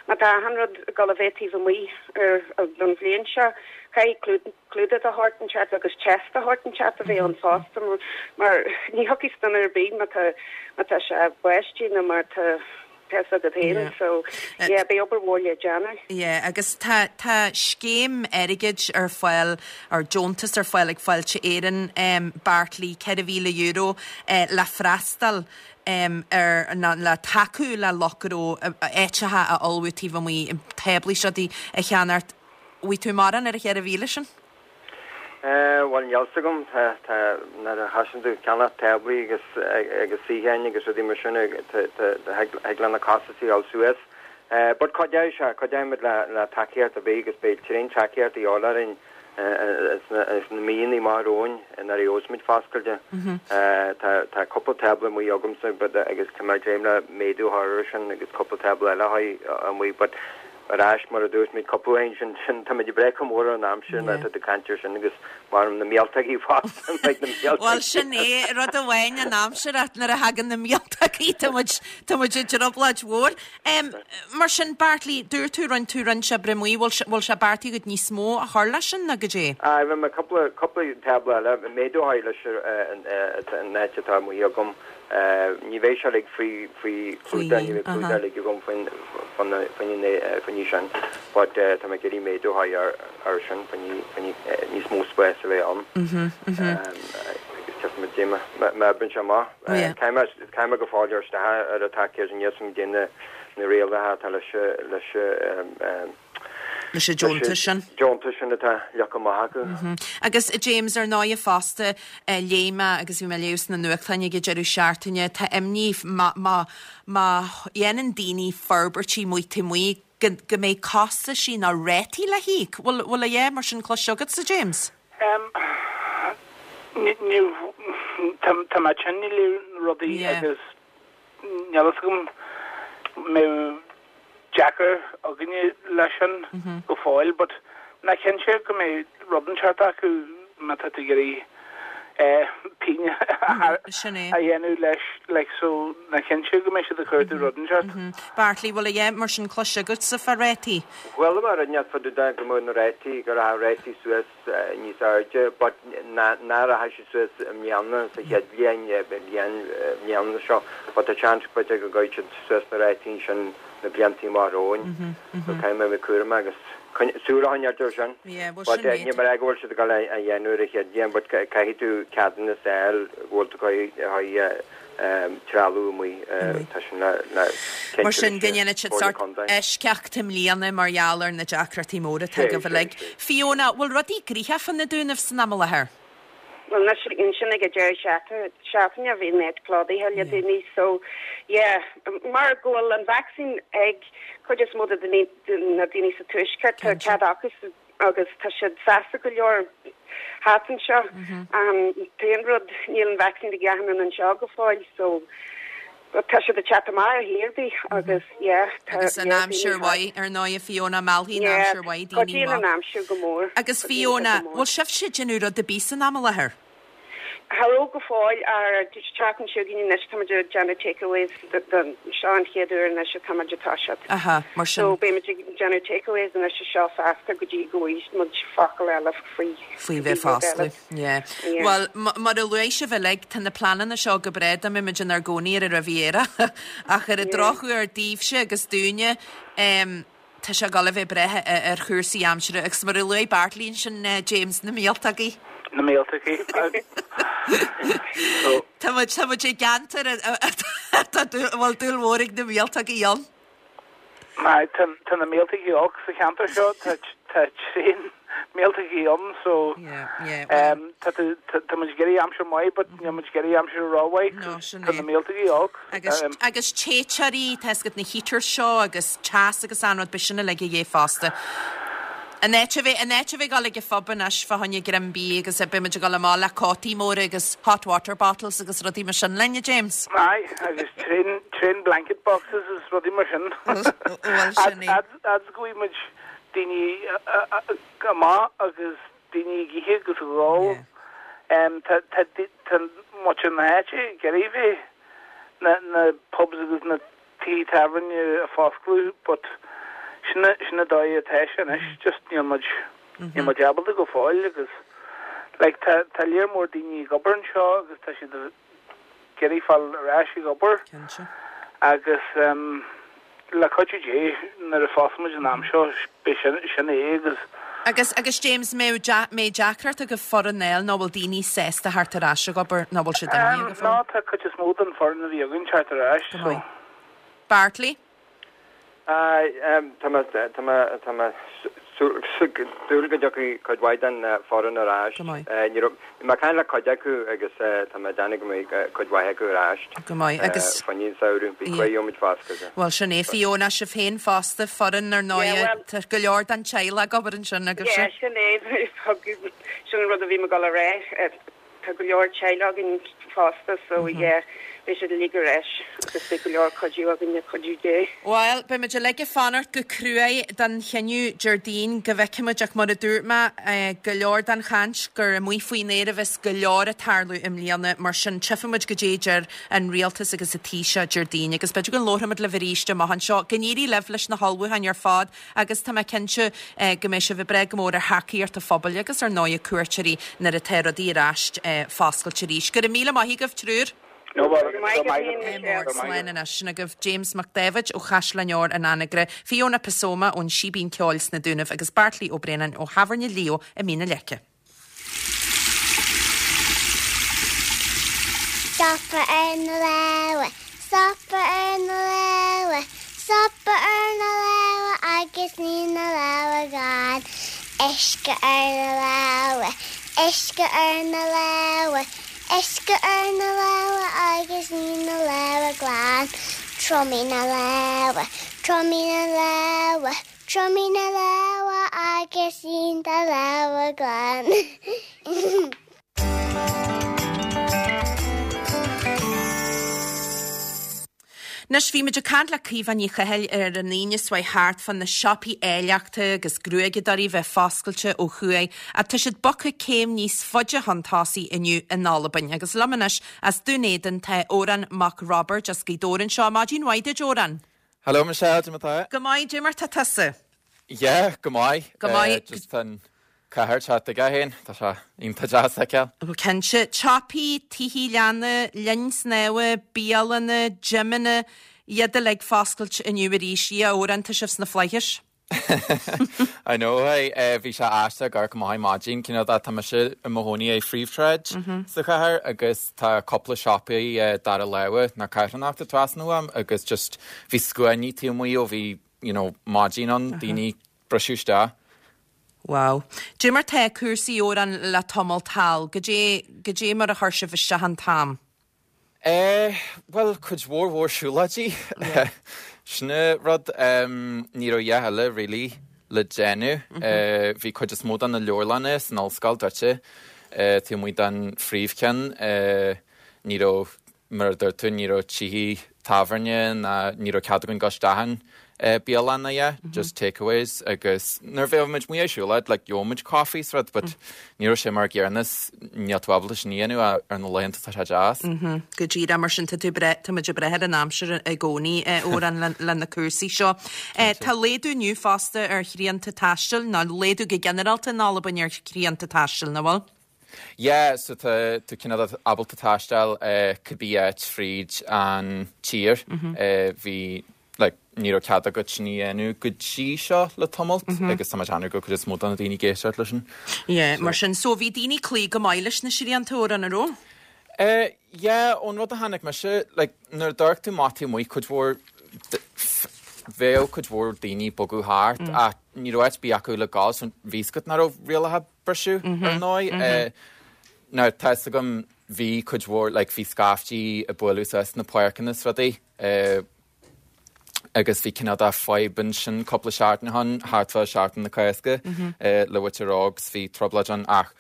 má tá achan rud ag dul a bheith taobh amuigh ar don bhliain seo, caithfidh clúdach de shórt inteacht agus chest de shórt inteacht a bheith ann fosta mar ní thiocfaidh duine ar bith má tá má tá sé ag báisteach nó má tá Tá fhios agat féin, so yeah, beidh obair mhór le déanamh.
Yeah, agus tá, tá scéim airgid ar fáil, or deontas ar fáil ag Fáilte Éireann, em, Bartley, €4,000, eh, le freastal, em, ar, nó le tacú le lucht gnó, áiteacha a ullmhú taobh amuigh, táblaí is rudaí a cheannacht. Bhfaighidh tú mórán ar an 4,000 sin?
Bhuel, níl 's agam. Tá, tá, nuair a thosaíonn tú ag ceannach táblaí agus, agus suíocháin agus rudaí mar sin, tá, tá, thig le na costasaí a dhul suas. But cuideoidh sé, cuideoidh muid le, le tacaíocht ar bith agus beidh tréan tacaíocht a dhíobháil orainn sna, sna míonna amach romhainn nuair a gheobhas muid foscailte. Tá, tá cúpla tábla amuigh agamsa but agus tá mé ag dréim le méadú a chur air sin agus cúpla tábla eile a chur amuigh but Ar ais, mar a dúirt mé cúpla uair ansin, sin, táimid ag breith chomh mór ar an aimsir nuair atá tú ag caint air sin agus mar na míoltógaí fosta, beidh na míoltógaí.
Bhuel, sin é, rud amháin an aimsir ach nuair a thagann na míoltógaí tá muid, tá muid i dtrioblóid mhór. Mar sin, Bartley, dúirt tú, rinne tú roinnt oibre amuigh, bhfuil sé, bhfuil sé beartaithe agat níos mó a chur leis sin nó goidé?
Aye, bhí mé cúpla, cúpla tábla eile, méadú a chur leis an áit atá amuigh agam. Ní bheidh sé uilig faoi faoi chlúdach, ní bheidh clúdach uilig agam faoin faoin sin but tá mé ag iarraidh méadú a chur air sin faoin níos mó spáis a bheith ann agus tchífimid cad é mar a oibríonn sé amach. Caithfidh mé go fóill cur isteach ar an tacaíocht níl 's agam cad é na rialacha atá leis leis
leis an deontas sin.
deontas sin atá leagtha amach acu.
Agus James, ar ndóighe fosta, léigh mé agus bhí mé ag léamh sna nuachtáin ag an deireadh seachtaine, tá imní má má má dhéanann daoine forbairtí amuigh taobh amuigh. go go mbeidh costaisí nó rátaí le híoc. Bhfuil bhfuil a dhath mar sin cloiste agatsa, James?
Em, ní ní tá tá mé tinn le rudaí
Yeah.
agus níl fhios agam mbeidh deacair againne leis sin go fóill but ná cinnte go mbeidh rud inteacht acu má tá tú ag iarraidh píne a dhéanamh leis like so ná cinnte go mbeidh siad ag cuartú rud inteacht.
Bartley, bhfuil a dhath mar sin cloiste agatsa fá rátaí?
Chuala mé rud inteacht fá dtaobh de go mbeadh na rátaí, go rachadh rátaí suas níos airde but ná rachaidh siad suas i mbliana sa chéad bhliain, bliain, mbliana seo but tá seans b'fhéidir go gcuirfidh siad suas na rátaí ansin na blianta amach romhainn so caithfidh mé a bheith cúramach agus súil a choinneáilt air sin. But ní mar go bhfuil siad ag dul a dhéanamh ar an chéad bhliain but caithfidh tú ceadúnas a fháil go bhfuil tú ag trealamh amuigh, tá sin le cinntiú
Mar sin, go
leis
ndéanfaidh siad
Comhairle
sórt
Contae.
eisceacht i mbliana mar gheall ar na deacrachtaí móra atá
Sé,
agaibh
sé,
uilig.
sé.
Fiona, bhfuil rudaí gnoitheach fá na Dúnaibh san am i láthair?
Bhuel, anois, ansin ag an deireadh seachtaine bhí an áit plódaithe le daoine so yeah, mar go bhfuil an vacsaín ag cuid is mó de na daoine sa tuaisceart, tá cead acu sa agus tá siad sásta go leor thart anseo. An t-aon rud, níl an vacsaín ag achan duine anseo go fóill so but tá siad ag teacht amach ar chaoi ar bith agus yeah tá
Agus an
yeah
aimsir
daoine thart.
mhaith, ar ndóigh, a Fiona, meallfaidh an
Yeah,
aimsir mhaith daoine
cuidíonn an
maith.
aimsir go mór,
Agus
cuidíonn sé
Fiona,
go mór.
bhfuil sibhse ag déanamh rud ar bith san am i láthair?
Cha raibh go fóill ach an tseachtain seo chugainn anois táimid ag déanamh takeaways don seo an chéad uair anois atá muid ag toiseacht.
Aha, mar sin.
So beimid ag déanamh takeaways anois anseo feasta go dtí go bhfaighidh muid focal eile faoi
Faoi bheith
rud eile.
ag foscladh, yeah.
Yeah.
Bhuel, mar a luaigh sibh uilig, tá na pleananna seo go breá dá mbeadh muid inár gcónaí ar an Riviera ach ar an
Yeah.
drochuair daoibhse agus dúinne, em, Tá sé ag dul a bheith ag brath ar chúrsaí aimsire agus mar a luaigh Bartley ansin, James, na míoltógaí.
Na míoltógaí.
Tá muid, tá muid i gceantar atá, a bhfuil dúil mhór ag na míoltógaí ann.
Aye, tá, tá na míoltógaí olc sa cheantar seo, tá, tá tréan míoltógaí ann so tá, tá muid ag iarraidh aimsir mhaith but níl muid ag iarraidh aimsir rómhaith
No, sin
tá
é.
na míoltógaí olc.
Agus, agus téiteoirí, tá fhios agat na heaters seo agus teas agus an rud, beidh sin uilig a dhíth fosta. An áit a bheith, an áit a bheith ag dul ag an phub anois fá choinne greim bídh agus beidh muid ag dul amach le cótaí móra agus hot water bottles agus rudaí mar sin linn, a James?
Aye, agus tréan, tréan blanket boxes is rudaí mar sin.
Bhuel, sin é.
Fhad, fhad is go bhfaighidh muid daoine amach agus daoine ag ithe agus ag ól. Tá, tá, tá muintir na háite ag iarraidh bheith, na, na pubs agus na tithe tábhairne a foscladh but sin, sin an dóigh atá sé anois, just níl muid, níl muid ábalta go fóill agus like tá, tá léar mór daoine ag obair anseo agus tá siad ag iarraidh fáil ar ais ag obair.
Cinnte.
Agus le cuidiú Dé, nuair a phósfaidh muid an am seo, beidh sin, sin é agus.
Agus, agus James, mbeidh, mbeidh deacracht agaibh foireann a fháil nó bhfuil daoine sásta theacht ar ais ag obair nó bhfuil siad imithe go
Ná,
fóill?
tá cuid is mó den foireann a bhí againn teacht ar ais,
Go
so.
maith. Bartley?
Tá mé tá mé tá mé ag dúil go dtiocfaidh cuid mhaith den foireann ar ais.
Go maith.
Ní raibh, bhí mé ag caint le cuid acu agus tá mé ag déanamh go mbeidh cuid mhaith acu ar ais.
Go maith agus.
Fá choinne an samhradh, bí cuid gheobhaimid foscadh.
Bhuel sin é, Fiona, sibh féin fosta, foireann ar ndóigh,
Yeah, well.
tá go leor den teaghlach ag obair ansin agaibhse.
Yeah, sin é, sin an rud a bhí mé ag dul a rá. Tá go leor teaghlach againn fosta so yeah beidh siad uilig ar ais agus beidh go leor cuidiú againn le cuidiú Dé.
Bhuel, beidh muid uilig ag fanacht go cruaidh don chinneadh Déardaoin go bhfeicfidh muid ach mar a dúirt mé, go leor den chaint gur amuigh faoin aer a bheas go leor ag tarlú i mbliana mar sin tchífidh muid goidé a deir an rialtas agus an Taoiseach Déardaoin agus b'fhéidir go labharfaidh muid libh arís amach anseo. Go n-éirí libh leis na hullmhúcháin ar fad Agus tá mé cinnte go mbeidh sibh ag brath go mór ar thacaíocht an phobail agus ar ndóigh cuairteoirí nuair atá rudaí ar ais foscailte arís. Go raibh míle maith agaibh, triúr.
No bother.
Go raibh maith agat féin, Michelle.
Slán anois. Sin agaibh James Mac Dáibhid ó Chaisleán Óir an Anagaire, Fiona Pasoma ón Síbín Ceoil sna Dúnaibh agus Bartley Ó Braonáin ó Thábhairne Leo i Mín na Leice.
Stopadh ar na lámha, stopadh ar na lámha, stopadh ar na lámha agus ní na lámha glan. Uisce ar na lámha, uisce ar na lámha, uisce ar na lámha agus ní na lámha glan. Triomaigh na lámha, triomaigh na lámha, triomaigh na lámha agus líon do lámha glan.
Anois, bhí muid ag caint le Caoimhe Ní Chathail ar an Aoine seo chuaigh thart fá na siopaí áilleachta agus gruaigeadóirí bheith foscailte ó thuaidh ach tá siad bogtha céim níos faide chun tosaigh inniu in Albain. Agus liom anois as Dún Éideann tá Odhrán Mac Roibeaird as Gaoth Dobhair anseo. Maidin mhaith duit, Odhrán.
Hello Michelle, cad é mar atá?
Go maith, cad é mar tá tusa?
Yeah, go maith.
Go maith.
Just an cathair teacht aige féin, tá sé iontach deas a fheiceáil.
Ó cinnte. Siopaí, tithe leanna, linn snámha, bialanna, gymeanna, iad uilig foscailte inniu arís. A Odhráin, tá sibh sna flaithis.
I know, hey, bhí sé aisteach ag amharc amach ar maidin, cineál de, tá mise i mo chónaí ar phríomhshráid sa chathair agus tá cúpla siopaí dara láimhe nó carthanachta trasna uaim agus just bhí scuainí taobh amuigh ó bhí, you know, maidin ann, daoine ag briseadh isteach.
Wow. Cad é mar tá cúrsaí Odhrán le tamall thall, goidé, goidé mar a chuir sibh isteach an t-am?
Eh, bhuel, cuid mhór mhór siúlóidí. Sin an rud. Ní raibh a dhath eile really le déanamh. Bhí cuid is mó de na leabharlanna san ollscoil druidte, taobh amuigh den phríomhcheann. Ní raibh Mar a dúirt tú, ní raibh tithe tábhairne ná ní raibh cead againn dul isteach in bialanna yeah, just takeaways agus nuair a bheadh muid amuigh ag siúlóid like gheobhadh muid coffee is rud but ní raibh sé mar an gcéanna is níl tú ábalta sin a dhéanamh ar na laethanta atá sé deas.
Go díreach mar sin tá tú breith, tá muid ag breith ar an aimsir i gcónaí a Odhráin le, le na cúrsaí seo. Tá laghdú inniu fosta ar shrianta taistil, nó laghdú go ginearálta in Albain ar shrianta taistil, nach bhfuil?
Yeah, so tá tú cineál ábalta taisteal cibé áit fríd an tír. Bhí, like, ní raibh cead agat sin a dhéanamh go dtí seo le tamalt agus tá mé ag déanamh go bhfuil cuid is mó de na daoine ag éisteacht leis sin.
Yeah, mar sin, so bhí daoine ag cloí go maith leis na srianta, a Odhráin, an raibh?
Yeah, ón rud a chonaic mise, like, nuair a d'amharc tú amach taobh amuigh, cuid mhór, bheadh cuid mhór daoine ag bogadh thart ach ní raibh áit ar bith acu le gabháil so bhí 's agat nach raibh rialacha briseadh, ar ndóigh. Now, tá 'fhios agam, bhí cuid mhór, like, bhí scaiftí ag bualadh suas sna páirceanna is rudaí, agus bhí cineál de fadhb ansin cúpla seachtain ó shin, thart fá Seachtain na Cásca, le muintir óg, 's bhí trioblóid ann ach,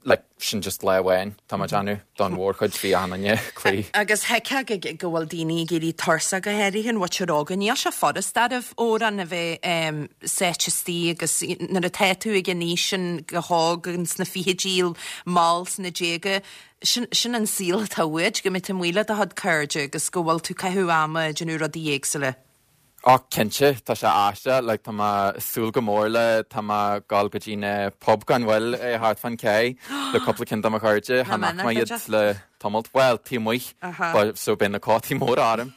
like, sin just lá amháin, tá mé ag déanamh, don mhórchuid, bhí achan duine ag cloí.
Agus thuigfeá go bhfuil daoine ag éirí tuirseach go háirithe an mhuintir óg. Níl sé furast ariamh, a Odhráin, a bheith sáite istigh agus nuair atá tú ag an aois sin go hóg sna fichidí, mall sna déaga, sin, sin an saol atá uait, go mbeidh tú amuigh le do chuid cairde agus go bhfuil tú ag caitheamh ama ag déanamh rudaí éagsúla.
Ó cinnte, tá sé aisteach, like tá mé ag súil go mór le, tá mé ag gabháil go dtí na pub gan mhoill thart fán cé le cúpla ceann de mo chairde, chan fhaca mé iad le tamalt, bhuel, taobh amuigh, so beidh na cótaí móra orm.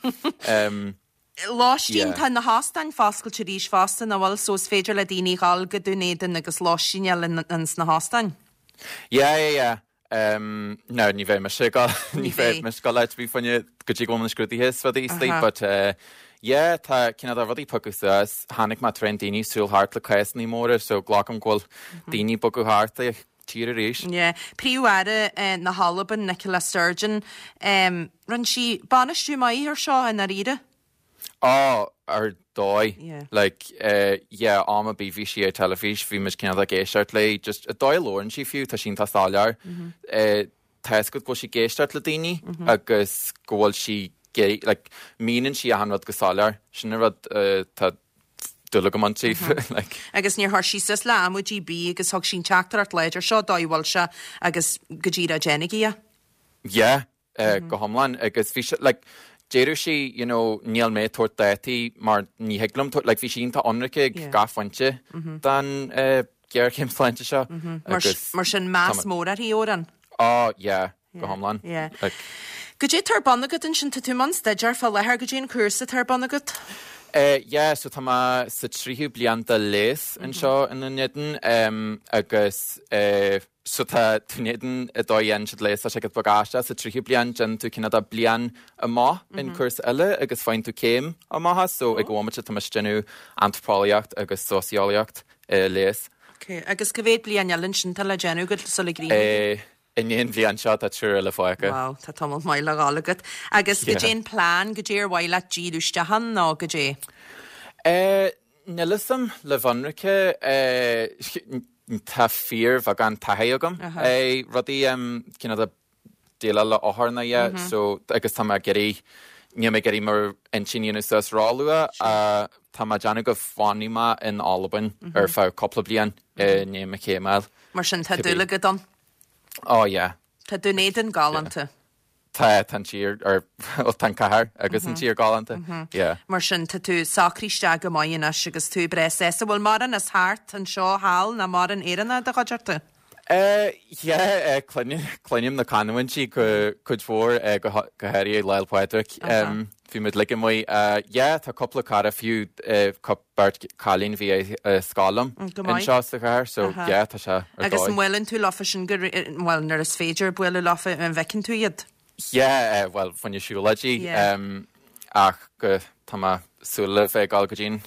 Lóistín, tá na hóstáin foscailte arís fosta, nach bhfuil, so is féidir le daoine dhul go Dún Éideann agus lóistín a fháil ins na hóstáin.
Yeah, yeah, yeah. Em, now ní bheidh mise ag dul, ní bheidh mise ag dul áit ar bith fá choinne go dtí go bhfuil na scrúduithe is rudaí istigh, but eh, yeah, tá cineál de rudaí ag piocadh suas. Chonaic mé tréan daoine ag siúl thart le cásannaí móra, so glacaim go bhfuil daoine ag bogadh thart an tír arís.
Yeah. Príomh-Aire eh, na hAlban, Nicola Sturgeon, em, rinne sí bainistiú maith ar seo i ndáiríre.
Á, ar dóigh. Yeah. Like, eh, yeah, am ar bith bhí sí ar teilifís, bhí muid cineál ag éisteacht léi, just an dóigh a labhrann sí fiú, tá sí iontach soiléir. Eh, tá 'fhios agat go bhfuil sí ag éisteacht le daoine agus go bhfuil sí ag, like, míníonn sí achan rud go soiléir. Sin an rud, eh, tá dúil agam inti, like.
Agus níor chuir sí suas le amaidí ar bith agus thug sí an teachtaireacht láidir seo, dóigh a bhfuil sé agus go díreach déanaigí é.
Yeah, go hiomlán agus bhí sé like deireadh sí you know níl mé ag tabhairt dátaí mar ní thig liom tabhairt like bhí sí iontach ionraic ag gach pointe den ghéarchéim sláinte seo
agus Mar sin meas mór uirthi, a Odhráin.
Oh yeah go hiomlán
Yeah. like. Goidé atá ar bun agat ansin, tá tú i mbun staidéir fá láthair, goidé an cúrsa atá ar bun agat?
Eh yeah so tá mé sa tríú bliain de leigheas anseo i nDún Éideann agus eh So tá Dún Éideann an dóigh a dhéanann siad leigheas, tá sé giota beag aisteach, sa tríú bliain déanann tú cineál de bliain amach in cúrsa eile agus faigheann tú céim amach as, so ag an bhomaite tá mise ag déanamh antraipeolaíocht agus sóiseolaíocht i leigheas.
Ok, agus cá mhéad bliain eile ansin atá le déanamh agat sula gcríochnaíonn tú?
I ndiaidh an bhliain seo tá triúr eile fágtha.
Wow, tá tamall maith le dhul agat. Agus goidé an plean, goidé ar mhaith leat díriú isteach ann nó goidé?
Eh, níl fhios a'm, le bheith ionraice, eh, tá fíorbheagán taithí agam eh, rudaí em, cineál de déileáil le othair ná yeah, so agus tá mé ag iarraidh, níl mé ag iarraidh m'intinn a dhéanamh suas róluath, eh, tá mé ag déanamh go bhfanfaidh mé in Albain ar feadh cúpla bliain i ndiaidh mo chéim a fháil.
Mar sin tá dúil agat ann?
Oh yeah.
Tá Dún Éideann galánta.
Tá, tá an tír, or bhuel tá an cathair agus an tír galánta, yeah.
Mar sin tá tú socraithe isteach go maith anois agus tú breá sásta. Bhfuil mórán as thart anseo thall ná mórán Éireannach i do chuideachta?
Eh yeah, eh cluinim na canúintí go cuid mhór, eh go go háirithe Lá 'le Pádraig. Bhí muid uilig amuigh. Eh yeah, tá cúpla cara fiú, eh beirt cailín a bhí i scoil liom anseo sa chathair so yeah tá sé ar
dóigh. Agus an mbuaileann tú leofa sin go bhuel nuair is féidir bualadh leofa an bhfeiceann tú iad?
Yeah bhuel fá choinne siúlóidí ach go tá mé súil le bheith ag dul go dtí an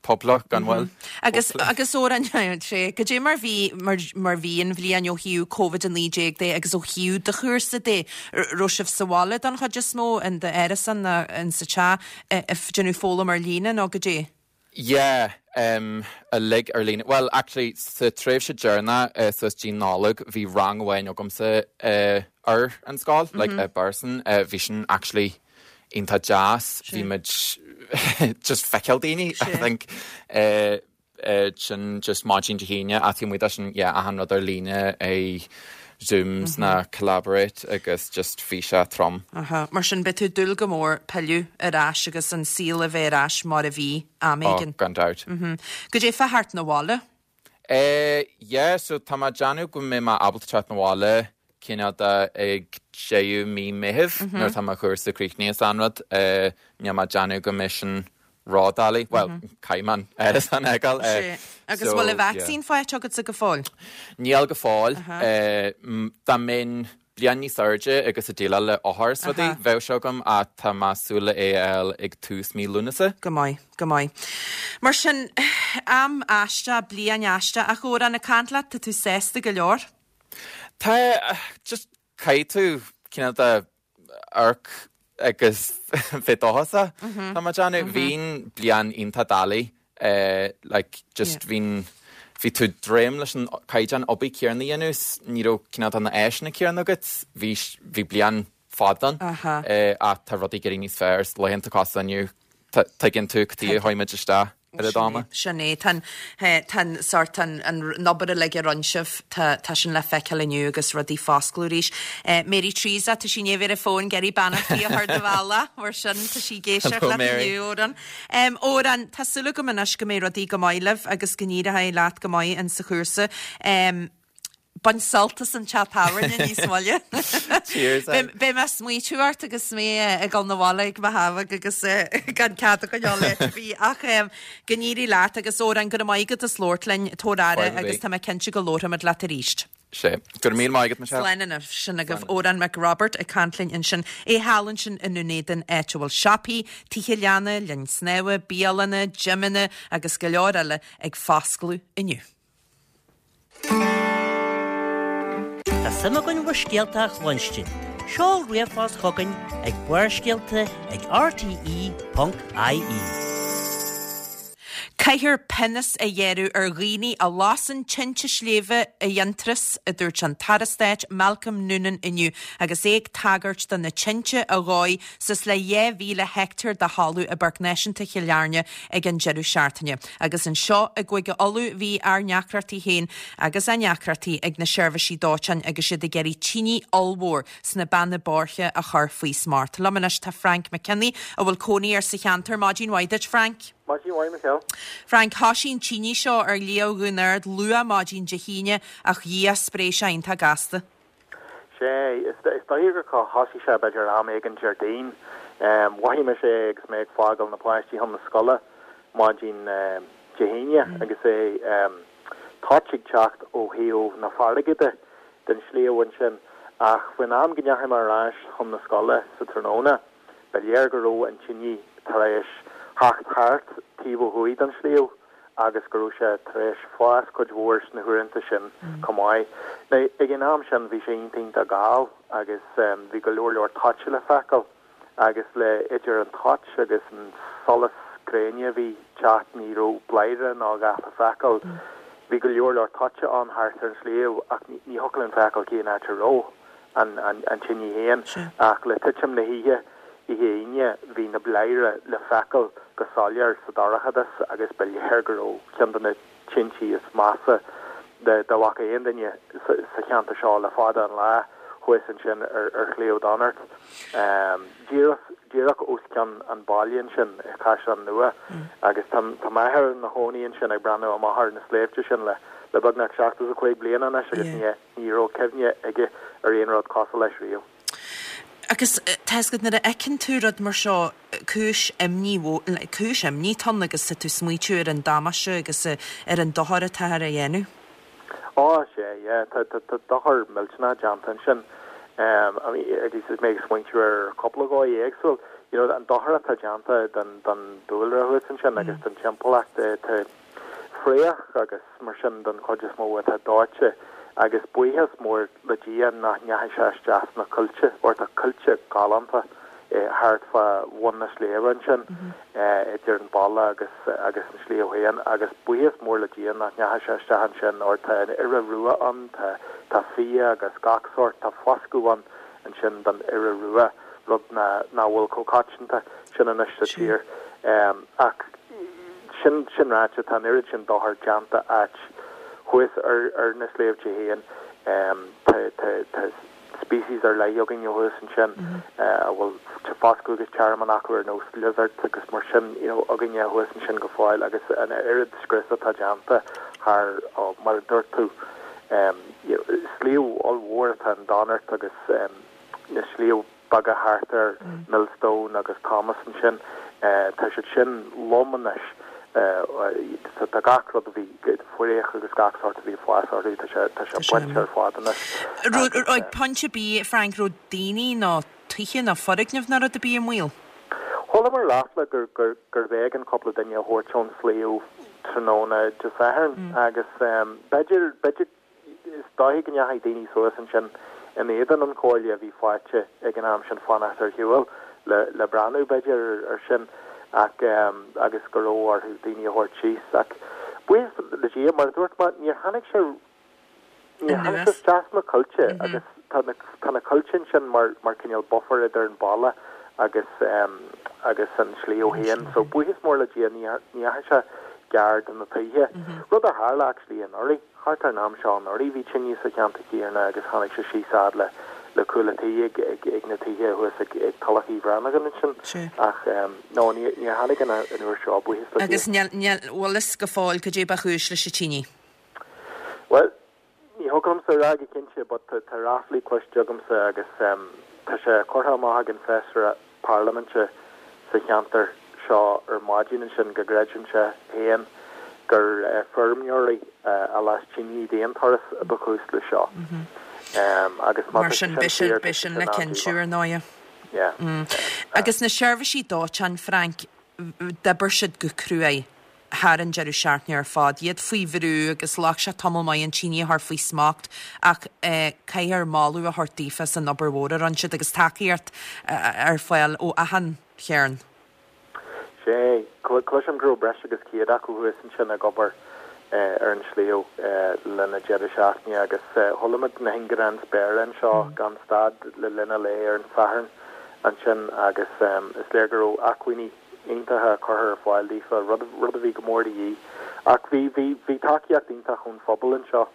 pub leo gan mhoill.
Agus agus Odhrán sé goidé mar bhí mar mar bhí an bhliain ó thaobh Covid-19 de agus ó thaobh do chúrsa de raibh sibh sa bhaile don chuid is mó in d'árasán nó in sa teach ag déanamh foghlaim ar líne nó goidé?
Yeah, em, uilig ar líne. Bhuel, actually, sa tréimhse deireanach, eh, suas dtí Nollaig, bhí rang amháin agamsa, eh, ar an scoil, like, i bpearsan. Eh, bhí sin actually iontach deas. Bhí muid just feiceáil daoine, I think. Eh, sin just maidin Dé hAoine ach taobh amuigh de sin yeah achan rud ar líne i Zooms ná Collaborate agus just bhí sé trom.
Aha, mar sin beidh tú ag dúil go mór pilleadh ar ais agus an saol a bheith ar ais mar a bhí am
Oh, éigin. gan dabht.
Mhm. Goidé fá theacht 'na bhaile?
Eh, yeah, so tá mé ag déanamh go mbeidh mé ábalta teacht 'na bhaile cineál de ag deireadh mí Meithimh nuair atá mo chúrsa críochnaithe is achan rud. Eh, níl mé ag déanamh go mbeidh sin ródhoiligh, bhuel, caithfidh mé an árasán a fhágáil.
Sea. Agus bhfuil an vacsaín faighte agatsa go fóill?
Níl go fóill. Dá mbeinn bliain níos airde agus ag déileáil le othair is rudaí, bheadh sé agam ach tá mé ag súil le é a fháil ag tús mí Lúnasa.
Go maith, go maith. Mar sin, am aisteach, bliain aisteach, ach Odhrán, ag caint leat, tá tú sásta go leor?
Tá, just caithfidh tú cineál de amharc agus bheith dóchasach, tá mé ag déanamh. Bhí an bliain iontach doiligh, like just bhí, bhí tú droim leis an caighdeán obair céanna a dhéanamh 's ní raibh cineál de na áiseanna céanna agat, bhí, bhí bliain fada ann ach tá rudaí ag éirí níos fearr, laethanta cosúil le inniu, tuigeann tú cad chuige a chuaigh muid isteach. oiread
ama. Sin é. Tá an, tá an sórt, an, an obair uilig a rinne sibh, tá, tá sin le feiceáil inniu agus rudaí foscladh arís. Mary Teresa, tá sí i ndiaidh a bheith ar an fón ag iarraidh beannachtaí a chur do bhealach, mar sin tá sí ag éisteacht leat inniu, Odhrán. Odhrán, tá súil agam anois go mbeidh rudaí go maith libh agus go n-éireoidh leat go maith in sa chúrsa. Bain sult as an teach tábhairne níos moille.
Cheers.
Beidh mé ag smaoitiú ort agus mé ag dul 'na bhaile ag mo thabhach agus gan cead a choinneáil le áit ar bith ach go n-éirí leat agus Odhrán go raibh maith agat as labhairt linn, tabhair aire agus tá mé cinnte go labharfaimid leat arís.
Sea. Go raibh míle maith agat, Michelle.
Slán anois. Sin agaibh Odhrán Mac Roibeaird ag caint linn ansin. É thall ansin i nDún Éideann áit a bhfuil siopaí, tithe leanna, linn snámha, bialanna, gymeanna agus go leor eile ag foscladh inniu.
Tá suim againn bhur scéalta a chluinstin. Seol ríomhphost chugainn ag barrscéalta ag rte.ie.
Caithfear pionós a ghearradh ar dhaoine a lasann tinte sléibhe i bhFionntrás, a dúirt an tAire Stáit Malcolm Noonan inniu agus é ag tagairt do na tinte a dhóigh suas le 2,000 heicteár de thalamh i bPáirc Náisiúnta Chill Airne ag an deireadh seachtaine. Agus anseo i gCúige Uladh bhí ár ndeacrachtaí féin agus á ndeacrachtaí ag na seirbhísí dóiteáin agus iad ag iarraidh tine ollmhór sna Beanna Boirche a chur faoi smacht. Liom anois tá Frank McKinney a bhfuil cónaí air sa cheantar. Maidin mhaith duit, Frank.
Maidin mhaith, Michelle.
Frank, thosaigh an tine seo ar Shliabh Dhún Ard luath maidin Dé hAoine ach dhia spréigh sé iontach gasta.
Sea, is dóigh gur thosaigh sé b'fhéidir am éigin Déardaoin. Mhothaigh mise é agus mé ag fágáil na páistí chun na scoile maidin Dé hAoine agus é toit ag teacht ó thaobh na farraige de, den sliabh ansin. Ach faoin am go ndeachaigh mé ar ais chun na scoile sa tráthnóna, ba léir go raibh an tine tar éis theacht thart taobh ó thuaidh den sliabh. agus go raibh sé tar éis fás cuid mhór sna huaireanta sin chomh maith. Now, ag an am sin bhí sé iontach iontach geal agus bhí go leor leor toit le feiceáil agus le idir an toit agus an solas gréine a bhí teacht ní raibh bladhaire ná a dhath le feiceáil. Bhí go leor leor toite ann thart ar an sliabh ach ní thiocfadh linn feiceáil cén áit a raibh. an tine féin, ach le titim na hoíche, oíche Aoine, bhí na bladhairí le feiceáil go soiléir sa dorchadas agus ba léir go raibh ceann de na tintí is measa dá bhfaca aon duine sa cheantar seo le fada an lá thuas ansin ar Shliabh Donart, díreach os cionn an bhaile ansin i Caisleán Nua. Agus tá m'athair ina chónaí ansin ag breathnú amach ar na sléibhte sin le beagnach 75 bliain anois agus ní Ní raibh cuimhne aige ar aon rud cosúil leis riamh.
Agus tá fhios agat, nuair a fheiceann tú rud mar seo, cúis imní, cúis imní atá ann agus tá tú ag smaoitiú ar an damáiste agus ar an dochar atáthar a dhéanamh.
Ó, sea, yeah, tá, tá, tá dochar millteanach déanta ansin. I mean, agus is mé ag smaointiú ar cúpla dhóigh éagsúil, you know, an dochar atá déanta don, don dúlra thuas ansin agus don timpeallacht, tá, Fraoch agus mar sin don chuid is mó atá dóite agus buíochas mór le Dia nach ndeachaigh sé isteach sna coillte óir tá coillte galánta thart fá bhun na sléibhe ansin idir an baile agus agus an sliabh féin agus buíochas mór le Dia nach ndeachaigh sé isteach ansin óir tá an iora rua ann, tá tá fia agus gach sórt, tá foscadh ann ansin don iora rua, rud nach bhfuil chomh coitianta sin anois sa tír. Ach sin sin ráite, tá an oiread sin dochair déanta áit thuas ar ar na sléibhte féin. Tá tá tá species ar leith againne thuas ansin a bhfuil foscadh agus tearmann acu ar nós lizards agus mar sin you know againne thuas ansin go fóill agus an oiread scrios atá déanta thar, mar a dúirt tú, Sliabh ollmhór atá in Donart agus na sliabh beaga thart air, Millstone agus Thomas ansin, tá siad sin lom anois. Tá gach rud a bhí, fraoch agus gach sórt a bhí ag fás orthu, tá sé tá sé bainte ar fad anois.
Raibh ag pointe ar bith, Frank, raibh daoine nó tithe nó foirgnimh nó rud ar bith i mbaol?
Chualamar ráfla gurbh éigean cúpla duine a thabhairt ón sliabh tráthnóna Dé Sathairn agus b'fhéidir, b'fhéidir, is dóichí go ndeachaigh daoine suas ansin in éadan an chomhairle a bhí faighte ag an am sin fanacht ar shiúl le, le breathnú b'fhéidir ar sin ach agus go raibh orthu daoine a thabhairt síos ach buíochas le Dia, mar a dúirt mé, níor tháinig sé Níor tháinig sé isteach sna coillte agus tá na tá na coillte ansin mar mar cineál buffer idir an baile agus agus an sliabh féin. So buíochas mór le Dia ní ní dheachaigh sé gar do na tithe. Rud a tharla actually anuraidh, thart ar an am seo anuraidh bhí tine sa cheantar céanna agus tháinig sé síos fhad le le cúl an tí ag ag ag na tithe thuas ag ag Tulach Uí Bhrannagáin ansin. Ach no ní níor tháinig an an uair seo buíochas le Dia.
Agus níl níl bhfuil fhios go fóill cad é ba chúis leis an tine.
Bhuel, ní thiocfadh liomsa a rá go cinnte but tá ráflaí cloiste agamsa agus tá sé curtha amach ag an Feisire Parlaiminte sa cheantar seo ar maidin ansin go gcreideann sé féin gur feirmeoirí a las tine d'aon turas a ba chúis le seo. Agus má
Mar
tá sé
sin,
sin
beidh sin,
fíor, tá
beidh
sé
sin
sin
le cinntiú
an-díomách.
ar ndóighe.
Yeah.
Agus na seirbhísí dóiteáin, Frank, d'oibir siad go cruaidh thar an deireadh seachtaine ar fad, iad faoi bhrú agus ghlac sé tamall maith an tine a chur faoi smacht ach caithfear moladh a thabhairt daofa as an obair mhór a rinne siad agus tacaíocht ar fáil ó achan chearn.
Sea, cloisim go raibh breis agus 100 acu thuas ansin ag obair ar an sliabh le linn an deireadh seachtaine agus chuala muid na hingearáin spéire anseo gan stad le linn an lae ar an Satharn ansin agus is léir go raibh acmhainní iontacha curtha ar fáil daofa, rud, rud a bhí go mór de dhíth. Ach bhí, bhí, bhí tacaíocht iontach ón phobal anseo.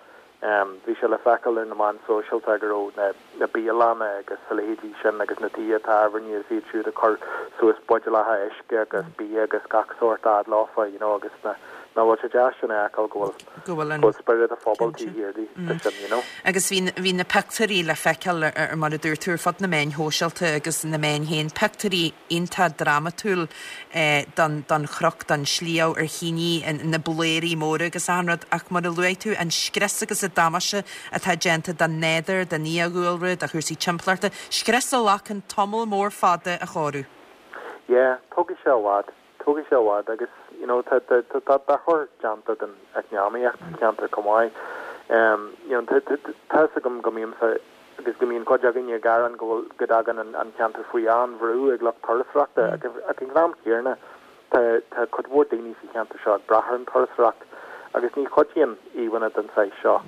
Bhí sé le feiceáil ar na meáin sóisialta go raibh na, na bialanna agus a leithéidí sin agus na tithe tábhairne is iad siúd ag cur suas buidéalacha uisce agus bia agus gach sórt fhad leofa, you know, agus na, nach bhfuil sé deas sin a fheiceáil go bhfuil,
go bhfuil an
go bhfuil spiorad an phobail taobh thiar de, de sin, you know.
Agus bhí, bhí na pictiúirí le feiceáil ar, mar a dúirt tú, ar fud na meáin shóisialta agus na meáin féin, pictiúirí iontach drámatúil don, don chnoc, don sliabh ar thine, na bladhairí móra agus achan rud ach mar a luaigh tú, an scrios agus an damáiste atá déanta don nádúr, don fhiadhúlra, do chúrsaí timpeallachta, scrios a ghlacann tamall mór fada a chóiriú.
Yeah, tógfaidh sé i bhfad. Tógfaidh sé i bhfad agus you know tá tá tá dochar déanta don eacnamaíocht sa cheantar chomh maith. You know tá tá tá fhios agam go mbímse agus go mbíonn cuid againne ag gearán go bhfuil go dtagann an an ceantar faoi an-bhrú ag lucht turasóireachta ach ag an am céanna tá tá cuid mhór daoine sa cheantar seo ag brath ar an turasóireacht agus ní chuidíonn íomhánna den saghas seo.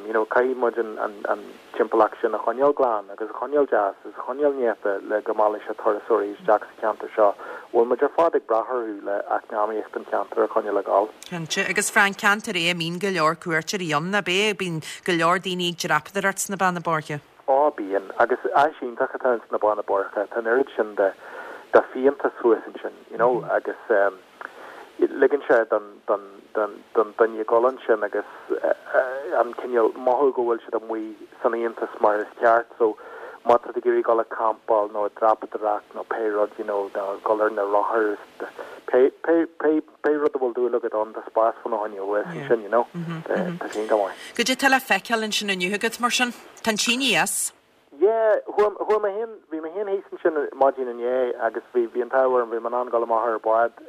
You know, caithfidh muid an an an timpeallacht sin a choinneáil glan agus a choinneáil deas agus a choinneáil néata le go meallfaidh sé turasóirí isteach sa cheantar seo. Bhfuil muid ar fad ag brath orthu le eacnamaíocht an cheantair a choinneáil ag dul.
Cinnte. Agus Frank, ceantar é a mbíonn go leor cuairteoirí ann, ab ea? Bíonn go leor daoine ag dreapadóireacht sna Beanna Boirche.
Á, bíonn. Agus áis iontach atá ins na Beanna Boirche. Tá an oiread sin de de fiántas thuas ansin, you know, agus eh, ligeann sé don don don don duine dul ansin agus an cineál mothú go bhfuil siad amuigh san fhiántas mar is ceart. So má tá tú ag iarraidh dul ag campáil nó ag dreapadóireacht nó pé rud you know nó dul ar na rothair pé pé pé pé rud a bhfuil dúil agat ann tá spás fána choinne thuas ansin you know. Tá sé iontach maith.
Goidé tá le feiceáil ansin inniu agat mar sin? Tá an tine as.
Yeah, chuaigh, chuaigh mé féin, bhí mé féin thíos ansin maidin inné agus bhí, bhí an t-ádh orm, bhí mé in ann dul amach ar an bhád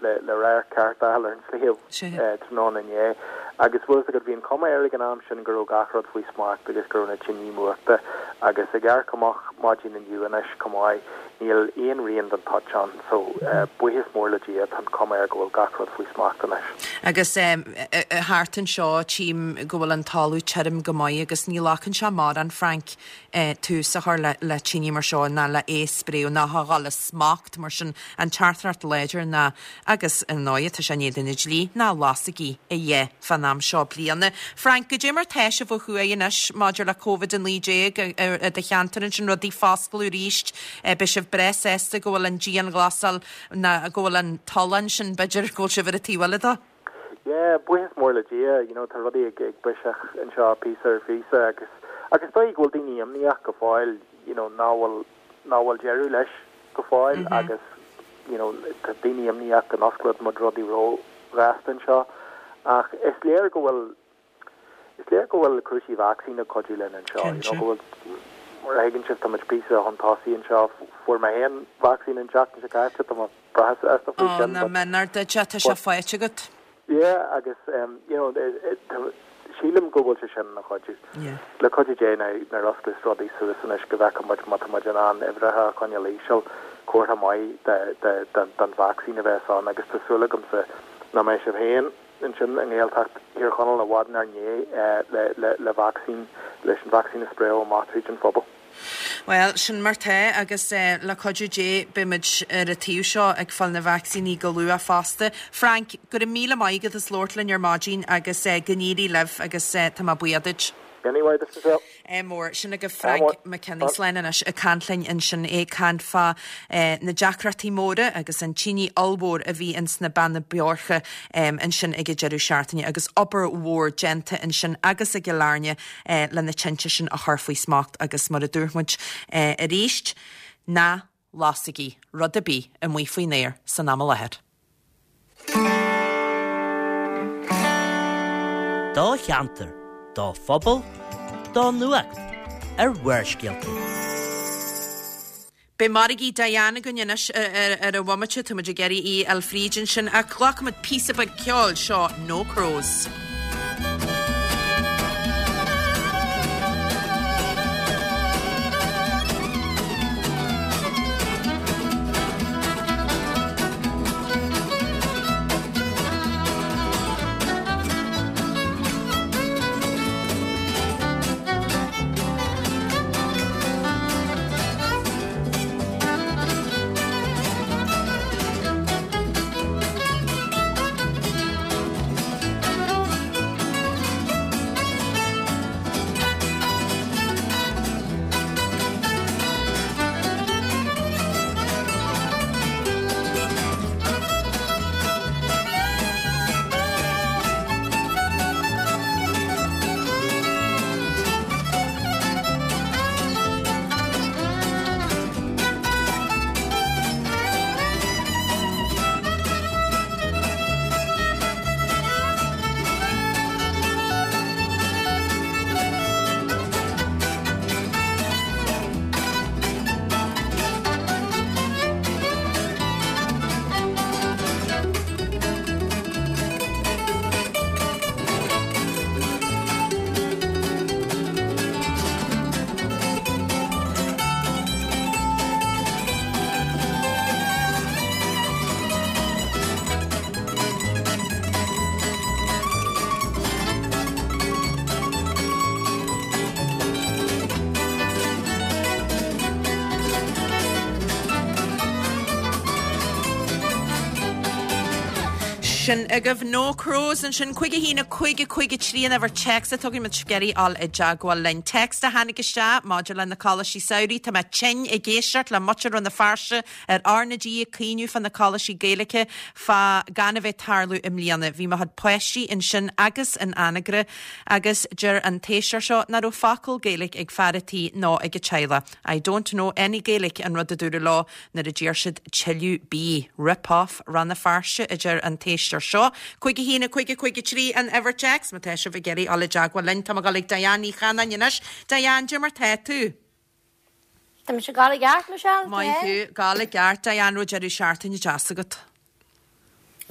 le, le radharc ceart a fháil ar an sliabh tráthnóna inné agus bhfuil fhios agat, bhí an cuma air ag an am sin go raibh gach rud faoi smacht agus go raibh na tiní múchta agus ag amharc amach maidin inniu anois chomh maith, níl aon rian den toit ann so buíochas mór le Dia, tá an cuma air go bhfuil gach rud faoi smacht anois.
Agus thart anseo tchím go bhfuil an talamh tirim go maith agus ní ghlacann sé mórán Frank tús a chur le tine mar seo ná le é a spréadh ná a dhul as smacht mar sin an teachtaireacht láidir ná agus ar ndóigh tá sé in éadan an dlí ná lasaigí a dhath fán am seo bliana. Frank, goidé mar tá sibh ó thuaidh anois maidir le Covid-19 i do cheantar ansin, rudaí ag foscladh arís, beidh sibh breá sásta go bhfuil an dianghlasáil ná go bhfuil an tollán sin b'fhéidir go bhfuil sibh ar an taobh eile dó?
Yeah, buíochas mór le Dia, you know, tá rudaí ag ag biseach anseo píosa ar phíosa agus agus is dóigh go bhfuil daoine imníoch go fóill, you know, nach bhfuil nach bhfuil deireadh leis go fóill agus you know tá daoine imníoch go n-osclóidh muid rudaí ró-ghasta anseo ach is léir go bhfuil is léir go bhfuil cúrsaí vacsaín ag cuidiú linn anseo you know go bhfuil mar a thuigeann sibh tá muid píosa chun tosaigh anseo fuair mé féin vacsaín an tseachtain seo caite tá mé breá sásta faoi
sin but nach méanar duit é tá sé faighte agat.
Yeah agus you know sílim go bhfuil sé sin ina chuidiú. Le cuidiú Dé nuair a osclós rudaí suas anois go bhfeicfidh muid má tá muid in ann uimhreacha a choinneáil íseal, comhartha maith den vacsaín a bheas ann agus tá súil agamsa nach mbeidh sibh féin ansin i nGaeltacht Thír Chonaill i bhfad inár ndiaidh le vacsaín, leis an vacsaín a spréadh amach tríd an phobal.
Bhuel, sin mar tá agus le cuidiú Dé beidh muid ar an taobh seo ag fáil na vacsaíní go luath fosta. Frank, go raibh míle maith agat as labhairt linn ar maidin agus go n-éirí libh agus tá mé buíoch duit.
Anyway, this is it.
Ádh mór. Sin agaibh Frank McKinney. Slán anois ag caint linn ansin, é ag caint fá na deacrachtaí móra agus an tine ollmhór a bhí ins na Beanna Boirche ansin ag an deireadh seachtaine agus obair mhór déanta ansin agus i gCill Airne le na tinte sin a chur faoi smacht agus mar a dúirt muid arís, ná lasaigí rud ar bith amuigh faoin aer san am i láthair.
Do cheantar, do phobal, do nuacht ar Bharrscéalta.
Beidh Margaí Diane againn anois ar an bhomaite, tá muid ag iarraidh í a fháil fríd ansin, ach glacfaimid píosa beag ceoil, seo No Crows. Sin agaibh No Crows ansin, 5 1 5 5 3 an uimhir téacs atá againn má tá sibh ag iarraidh dul i dteagmháil linn. Téacs a tháinig isteach maidir le na coláistí samhraidh. Tá mé tinn ag éisteacht le muintir Rann na Feirste ar R na G ag caoineadh fá na coláistí Gaeilge fá gan a bheith tarlú i mbliana. Bhí mo chuid páistí ansin agus in Anagaire agus deir an t-éisteoir seo nach raibh focal Gaeilge ag fear a' tí ná ag a teaghlach. I don't know any Gaelic an rud a dúradh leo Nuair a d'iarr siad tuilleadh bídh. Rip off Rann na Feirste, a deir an t-éisteoir seo. 5 1 5 5 3 an uimhir téacs má tá sibh ag iarraidh dul i dteagmháil linn. Tá mé ag dul ag Diane Ní Chanainn anois. Diane, cad é mar tá tú?
Tá mise ag gabháil i gceart, Michelle.
Maith thú. Gabháil i gceart. Diane, raibh deireadh seachtaine deas agat?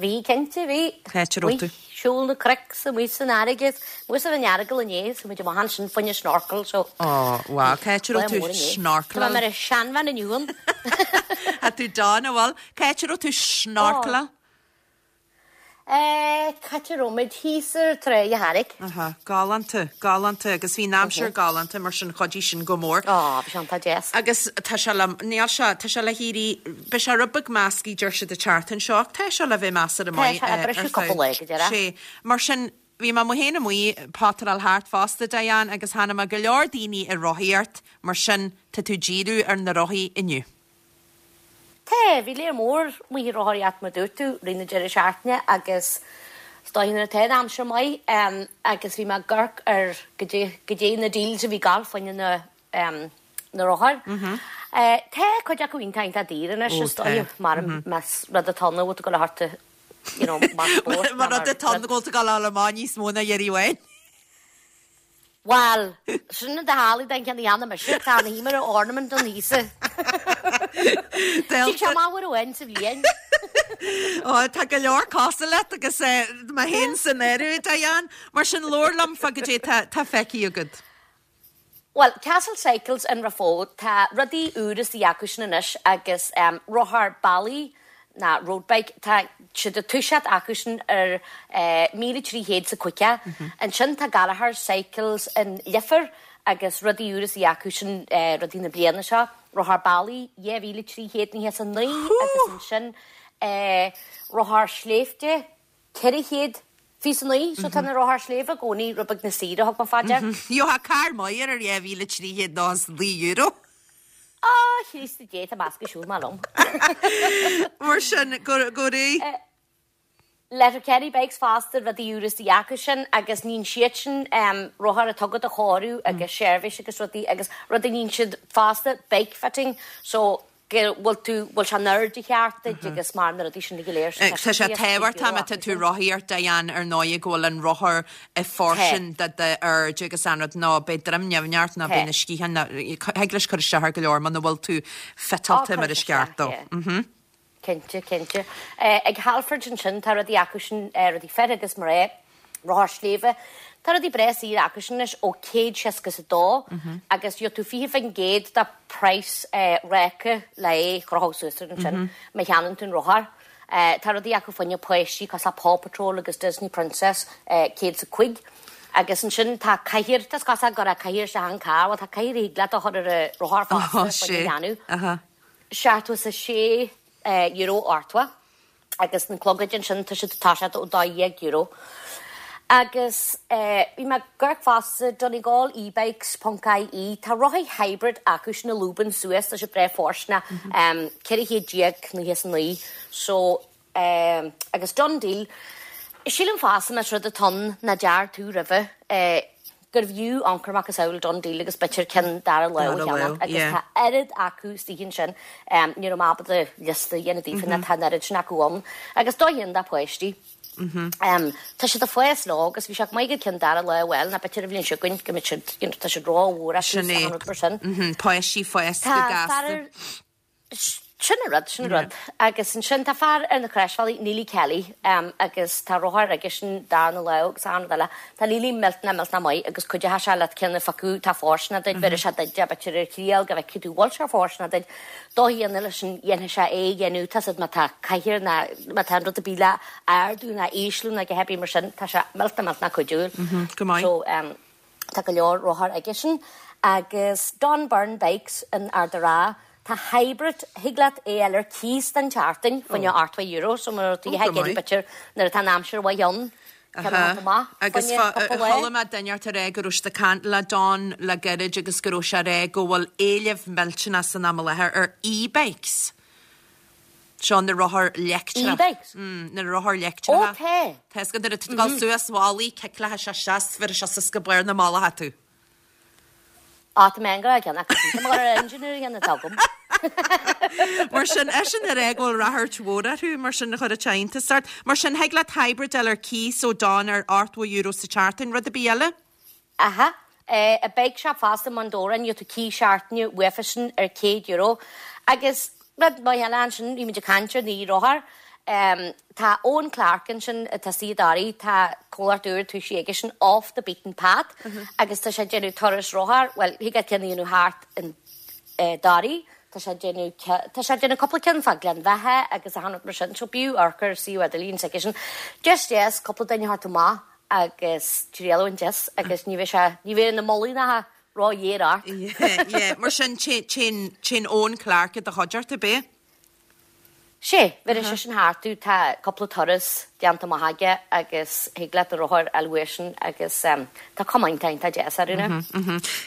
Bhí, cinnte, bhí.
Cá háit a raibh tú?
Amuigh, siúl na cnoic 's amuigh san fharraige, amuigh san Earagail inné, so muid amach ansin fá choinne snorkel, so.
Ó, wow, cá háit a raibh tú snorkeláil?
Tá mé mar a seanbhean inniu ann.
Tá tú dona, bhuel, cá háit a raibh tú snorkeláil?
Eh, cá háit a raibh muid thíos ar Tráigh a' Charraig.
Aha, galánta, galánta, agus bhí an aimsir galánta mar sin chuidigh sin go mór.
Ó, bhí sé iontach deas.
Agus tá sé le, níl sé, tá sé le héirí, beidh sé rud beag measctha deir siad an tseachtain seo ach tá sé le bheith measartha maith
Tá sé ag briseadh cúpla lá go deireadh.
Sé, mar sin, bhí mé amuigh féin amuigh ag potaráil thart fosta, Diane, agus chonaic mé go leor daoine ag rothaíocht, mar sin, tá tú ag díriú ar na rothaí inniu.
Tá, bhí léar mór amuigh ag rothaíocht mar dúirt tú, rith na deireadh seachtaine agus is dóigh nuair atá an aimsir maith agus bhí mé ag amharc ar goidé, goidé na deals a bhí ag gabháil fá choinne na, na rothair. Tá cuid acu iontach iontach daor anois is dóigh mar más rud atá ann a bhfuil tú ag gabháil a thabhairt you know, mar spórt.
Mar rud atá ann go bhfuil tú ag gabháil a fháil amach níos mó ná iarraidh amháin.
Bhuel, sin an dá den cheann a dhéanfaidh mise, tá an hí mar ornament don thíos. Tig sé amach uair amháin sa bhliain.
Ó, tá go leor cosúil leat agus mé féin san áireamh, Diane. Mar sin, labhair liom fá goidé tá feicthe agat.
Bhuel, Castle Cycles in Raphoe, tá rudaí úra istigh acu sin anois agus rothar bealaigh ná road bike, tá siad ag toiseacht acu sin ar 1,300 's a caoga. Ansin tá Gallagher Cycles in Leifear agus rudaí úra istigh acu sin, rudaí na bliana seo, rothar bealaigh 2,399 agus ansin rothar sléibhte 429, so tá na rothair sléibhe i gcónaí rud beag níos saoire, thug mé fá dear.
Gheofá carr maith air ar €2,399.
Á, Chríost Dé, tá meascadh siúl maith liom.
Mar sin, go réidh.
Letterkenny Bikes fosta, rudaí úra istigh acu sin agus níonn siad sin rothair atá agat a chóiriú agus seirbhís agus rudaí agus rudaí níonn siad fosta bike fitting so go bhfuil tú, bhfuil sé in airde cheart duit agus mar na rudaí sin go léir.
So tá sé tábhachtach má tá tú ag rothaíocht, Diane, ar ndóigh go bhfuil an rothar i bhfóirstean do d'airde agus an rud nó beidh droim nimhneach ort nó beidh na sciatháin nó thig leis cur isteach ar go leor muna bhfuil tú fiteáilte mar is ceart dó.
Cinnte, cinnte. Ag Halfords ansin tá rudaí acu sin, rudaí fir agus mná, rothar sléibhe. Tá rudaí breá saor acu sin anois ó 162 agus gheobhaidh tú 20% de praghas ráca le é a chrochadh suas air ansin má cheannaíonn tú an rothar. Tá rudaí acu fá choinne páistí cosúil le Paw Patrol agus Disney Princess 105. Agus ansin tá cathaoir, tá cosúil go raibh cathaoir isteach an carr, bhuel tá cathaoir a thig leat a chur ar an rothar fosta fá choinne leanbh. €76 ochtó agus na clogaid ansin tá siad ag toiseacht ó €12. Agus bhí mé ag amharc fosta Donegal ebikes ponc ie tá rothaí hybrid acu sin a lúbann suas tá siad breá fóirsteanach 1499 so Agus DoneDeal, sílim fosta más rud atá ann nach ndear tú roimhe, gurbh fhiú amharc ar macasamhail DoneDeal agus b'fhéidir ceann dara lámh a cheannach agus tá oiread acu istigh ansin, ní raibh mé ábalta liosta a dhéanamh daofa nó tá an oiread sin acu ann. Agus dóigh dho páistí. Tá siad ag fás leo agus bhí sé go maith go ceann dara lámh a fháil nó b'fhéidir an bhliain seo chugainn go mbeidh siad, you know, tá siad rómhór acu
Sin é.
agus rud mar sin.
Páistí fásta go
Tá
gasta.
fear Sin an rud, sin an rud. Agus ansin tá fear ar na Croisbhealaí, Neely Kelly, agus tá rothar aigesean darna lámh agus achan rud eile. Tá Neely millteanach, millteanach maith agus cuideoidh sé leat ceann a phiocadh atá fóirsteanach duit, bhéarfaidh sé duit é b'fhéidir ar thriail go bhfeicfidh tú bhfuil sé fóirsteanach duit. Dóigh éigin leis sin dhéanfaidh sé é a dhéanamh, tá 's agat má tá cathaoir ná má tá an rud ar bith le ardú ná ísliú ná a dhath ar bith mar sin, tá sé millteanach, millteanach cuidiúil.
Go maith.
So, Tá go leor rothar aigesean agus Don Byrne Bikes in Ard an Rátha. Tá hybrid, thig leat é a fháil ar cíos don tseachtain, fá choinne €80, so má tá tú ag iarraidh b'fhéidir nuair atá an aimsir mhaith ann, ceann a thabhairt amach fá
Agus
choinne cúpla lá.
chuala mé duine ort ag rá go raibh siad ag caint le Don le gairid agus go raibh sé ag rá go bhfuil éileamh millteanach san am i láthair ar e-bikes. Seo na rothair leictreacha.
E-bikes?
Mm, na rothair leictreacha.
Ó tá.
Tá 'fhios agat nuair atá tú ag dul suas mhalaí, cicleacha sé isteach, bheir sé suas go barr na mala tú.
Á, tá mé an-ghrá ceann acu. Tá mé ar an engineer a dhéanamh agam.
Mar sin, eisean ag rá go bhfuil ráchairt mhór orthu, mar sin, chuir sé iontas ort. Mar sin, thig leat hybrid a fháil ar cíos ó Don ar €80 sa tseachtain, rud ar bith eile?
Aha. I bike shop fosta i mBun Dobhráin, gheobhaidh tú cíos seachtaine uafa sin ar €100. Agus rud maith eile ansin, bhí muid ag caint ar na rothair, Tá Owen Clarke ansin atá istigh i dToraigh, tá comhlacht úr tosaithe aigesean Off the Beaten Path agus tá sé ag déanamh turas rothar, bhuel thig leat ceann a dhéanamh thart in dToraigh, tá sé ag déanamh, tá sé ag déanamh cúpla ceann fá Gleann Bheatha agus achan rud mar sin, so b'fhiú amharc ar suíomh idirlín s'aigesean. Just deas cúpla duine a thabhairt amach agus triail a bhaint as agus ní bheidh sé, ní bheidh na mullaigh ró-ghéar ort.
Yeah, yeah, mar sin téann, téann Owen Clarke i do chuideachta, ab ea?
Sea, bhéarfaidh seisean thart tú, tá cúpla turas déanta amach aige agus thig leat do rothar a fháil uaidhsean agus tá cuma iontach iontach deas orthu now.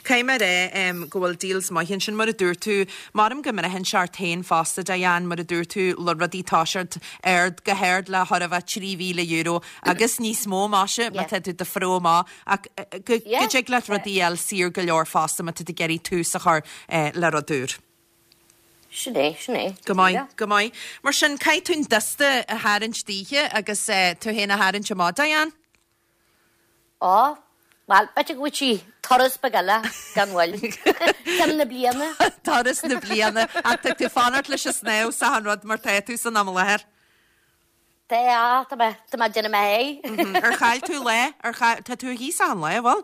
Caithfidh mé a rá go bhfuil deals maith ansin, mar a dúirt tú, maram go mbraitheann sé ort féin fosta, Diane, mar a dúirt tú, le rudaí toiseacht ard, go hard le chóir a bheith €3,000 agus níos mó, maise, má tá tú do phromhadh amach, ach go dtig leat rudaí a fháil saor go leor fosta má tá tú ag iarraidh tús a chur le rud úr.
Sin é, sin é.
Go maith, go maith. Mar sin, caithfidh tú an dusta a tharraingt daoithe agus tú féin a tharraingt amach, Diane.
Á, bhuel, b'fhéidir go bhfaighidh sí turas beag eile gan mhoill. Ceann na bliana.
Turas na bliana. Ach tá tú fanacht leis an snámh 's achan rud mar tá tú san am i láthair.
Tá, tá mé, tá mé ag déanamh mo sháith.
Ar chaill tú lá? Ar chaill, tá tú thíos achan lá, an bhfuil?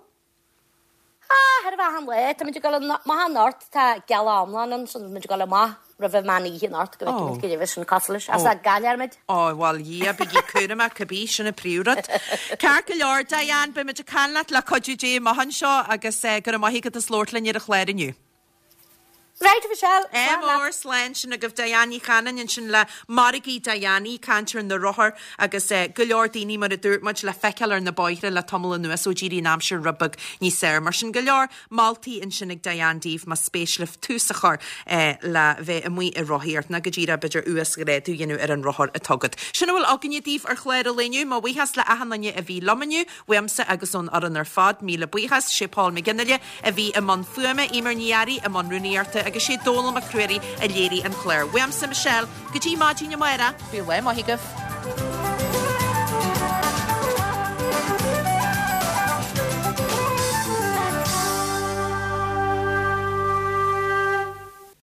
Ah, chóir a bheith achan lá. Tá muid ag dul amach anocht, tá gealach iomlán ann, so tá muid ag dul amach roimh an meán oíche anocht go bhfeicfidh muid cad é sin cosúil leis. As a gcaillfear muid.
Ó, bhuel, dhia, bígí cúramach, cibé, sin an príomhrud. Ceart go leor, Diane, beidh muid ag caint leat le cuidiú Dé amach anseo agus go raibh maith agat as labhairt linn ar an chlár inniu.
Right, Michelle,
Ádh slán leat. mór, slán sin agaibh Diane Ní Chanainn ansin le Margaí Diane, í ag caint ar na rothair agus go leor daoine mar a dúirt muid le feiceáil ar na bóithre le tamall anuas ó d'éirigh an aimsir rud beag níos fearr. Mar sin go leor moltaí ansin ag Diane daoibh más spéis libh tús a chur le bheith amuigh ag rothaíocht nó go díreach b'fhéidir uasghrádú a dhéanamh ar an rothar atá agat. Sin a bhfuil againne daoibh ar chlár an lae inniu. Mo bhuíochas le achan duine a bhí liom inniu, uaimse agus ón fhoireann ar fad, míle buíochas. Sé Paul McGinley a bhí i mbun fuaime, Eimear Ní Fhearraigh i mbun rúnaíochta agus sé Dónal Mac Ruairí a léirigh an clár. Uaimse, Michelle, go dtí maidin amárach, bíodh lá maith agaibh.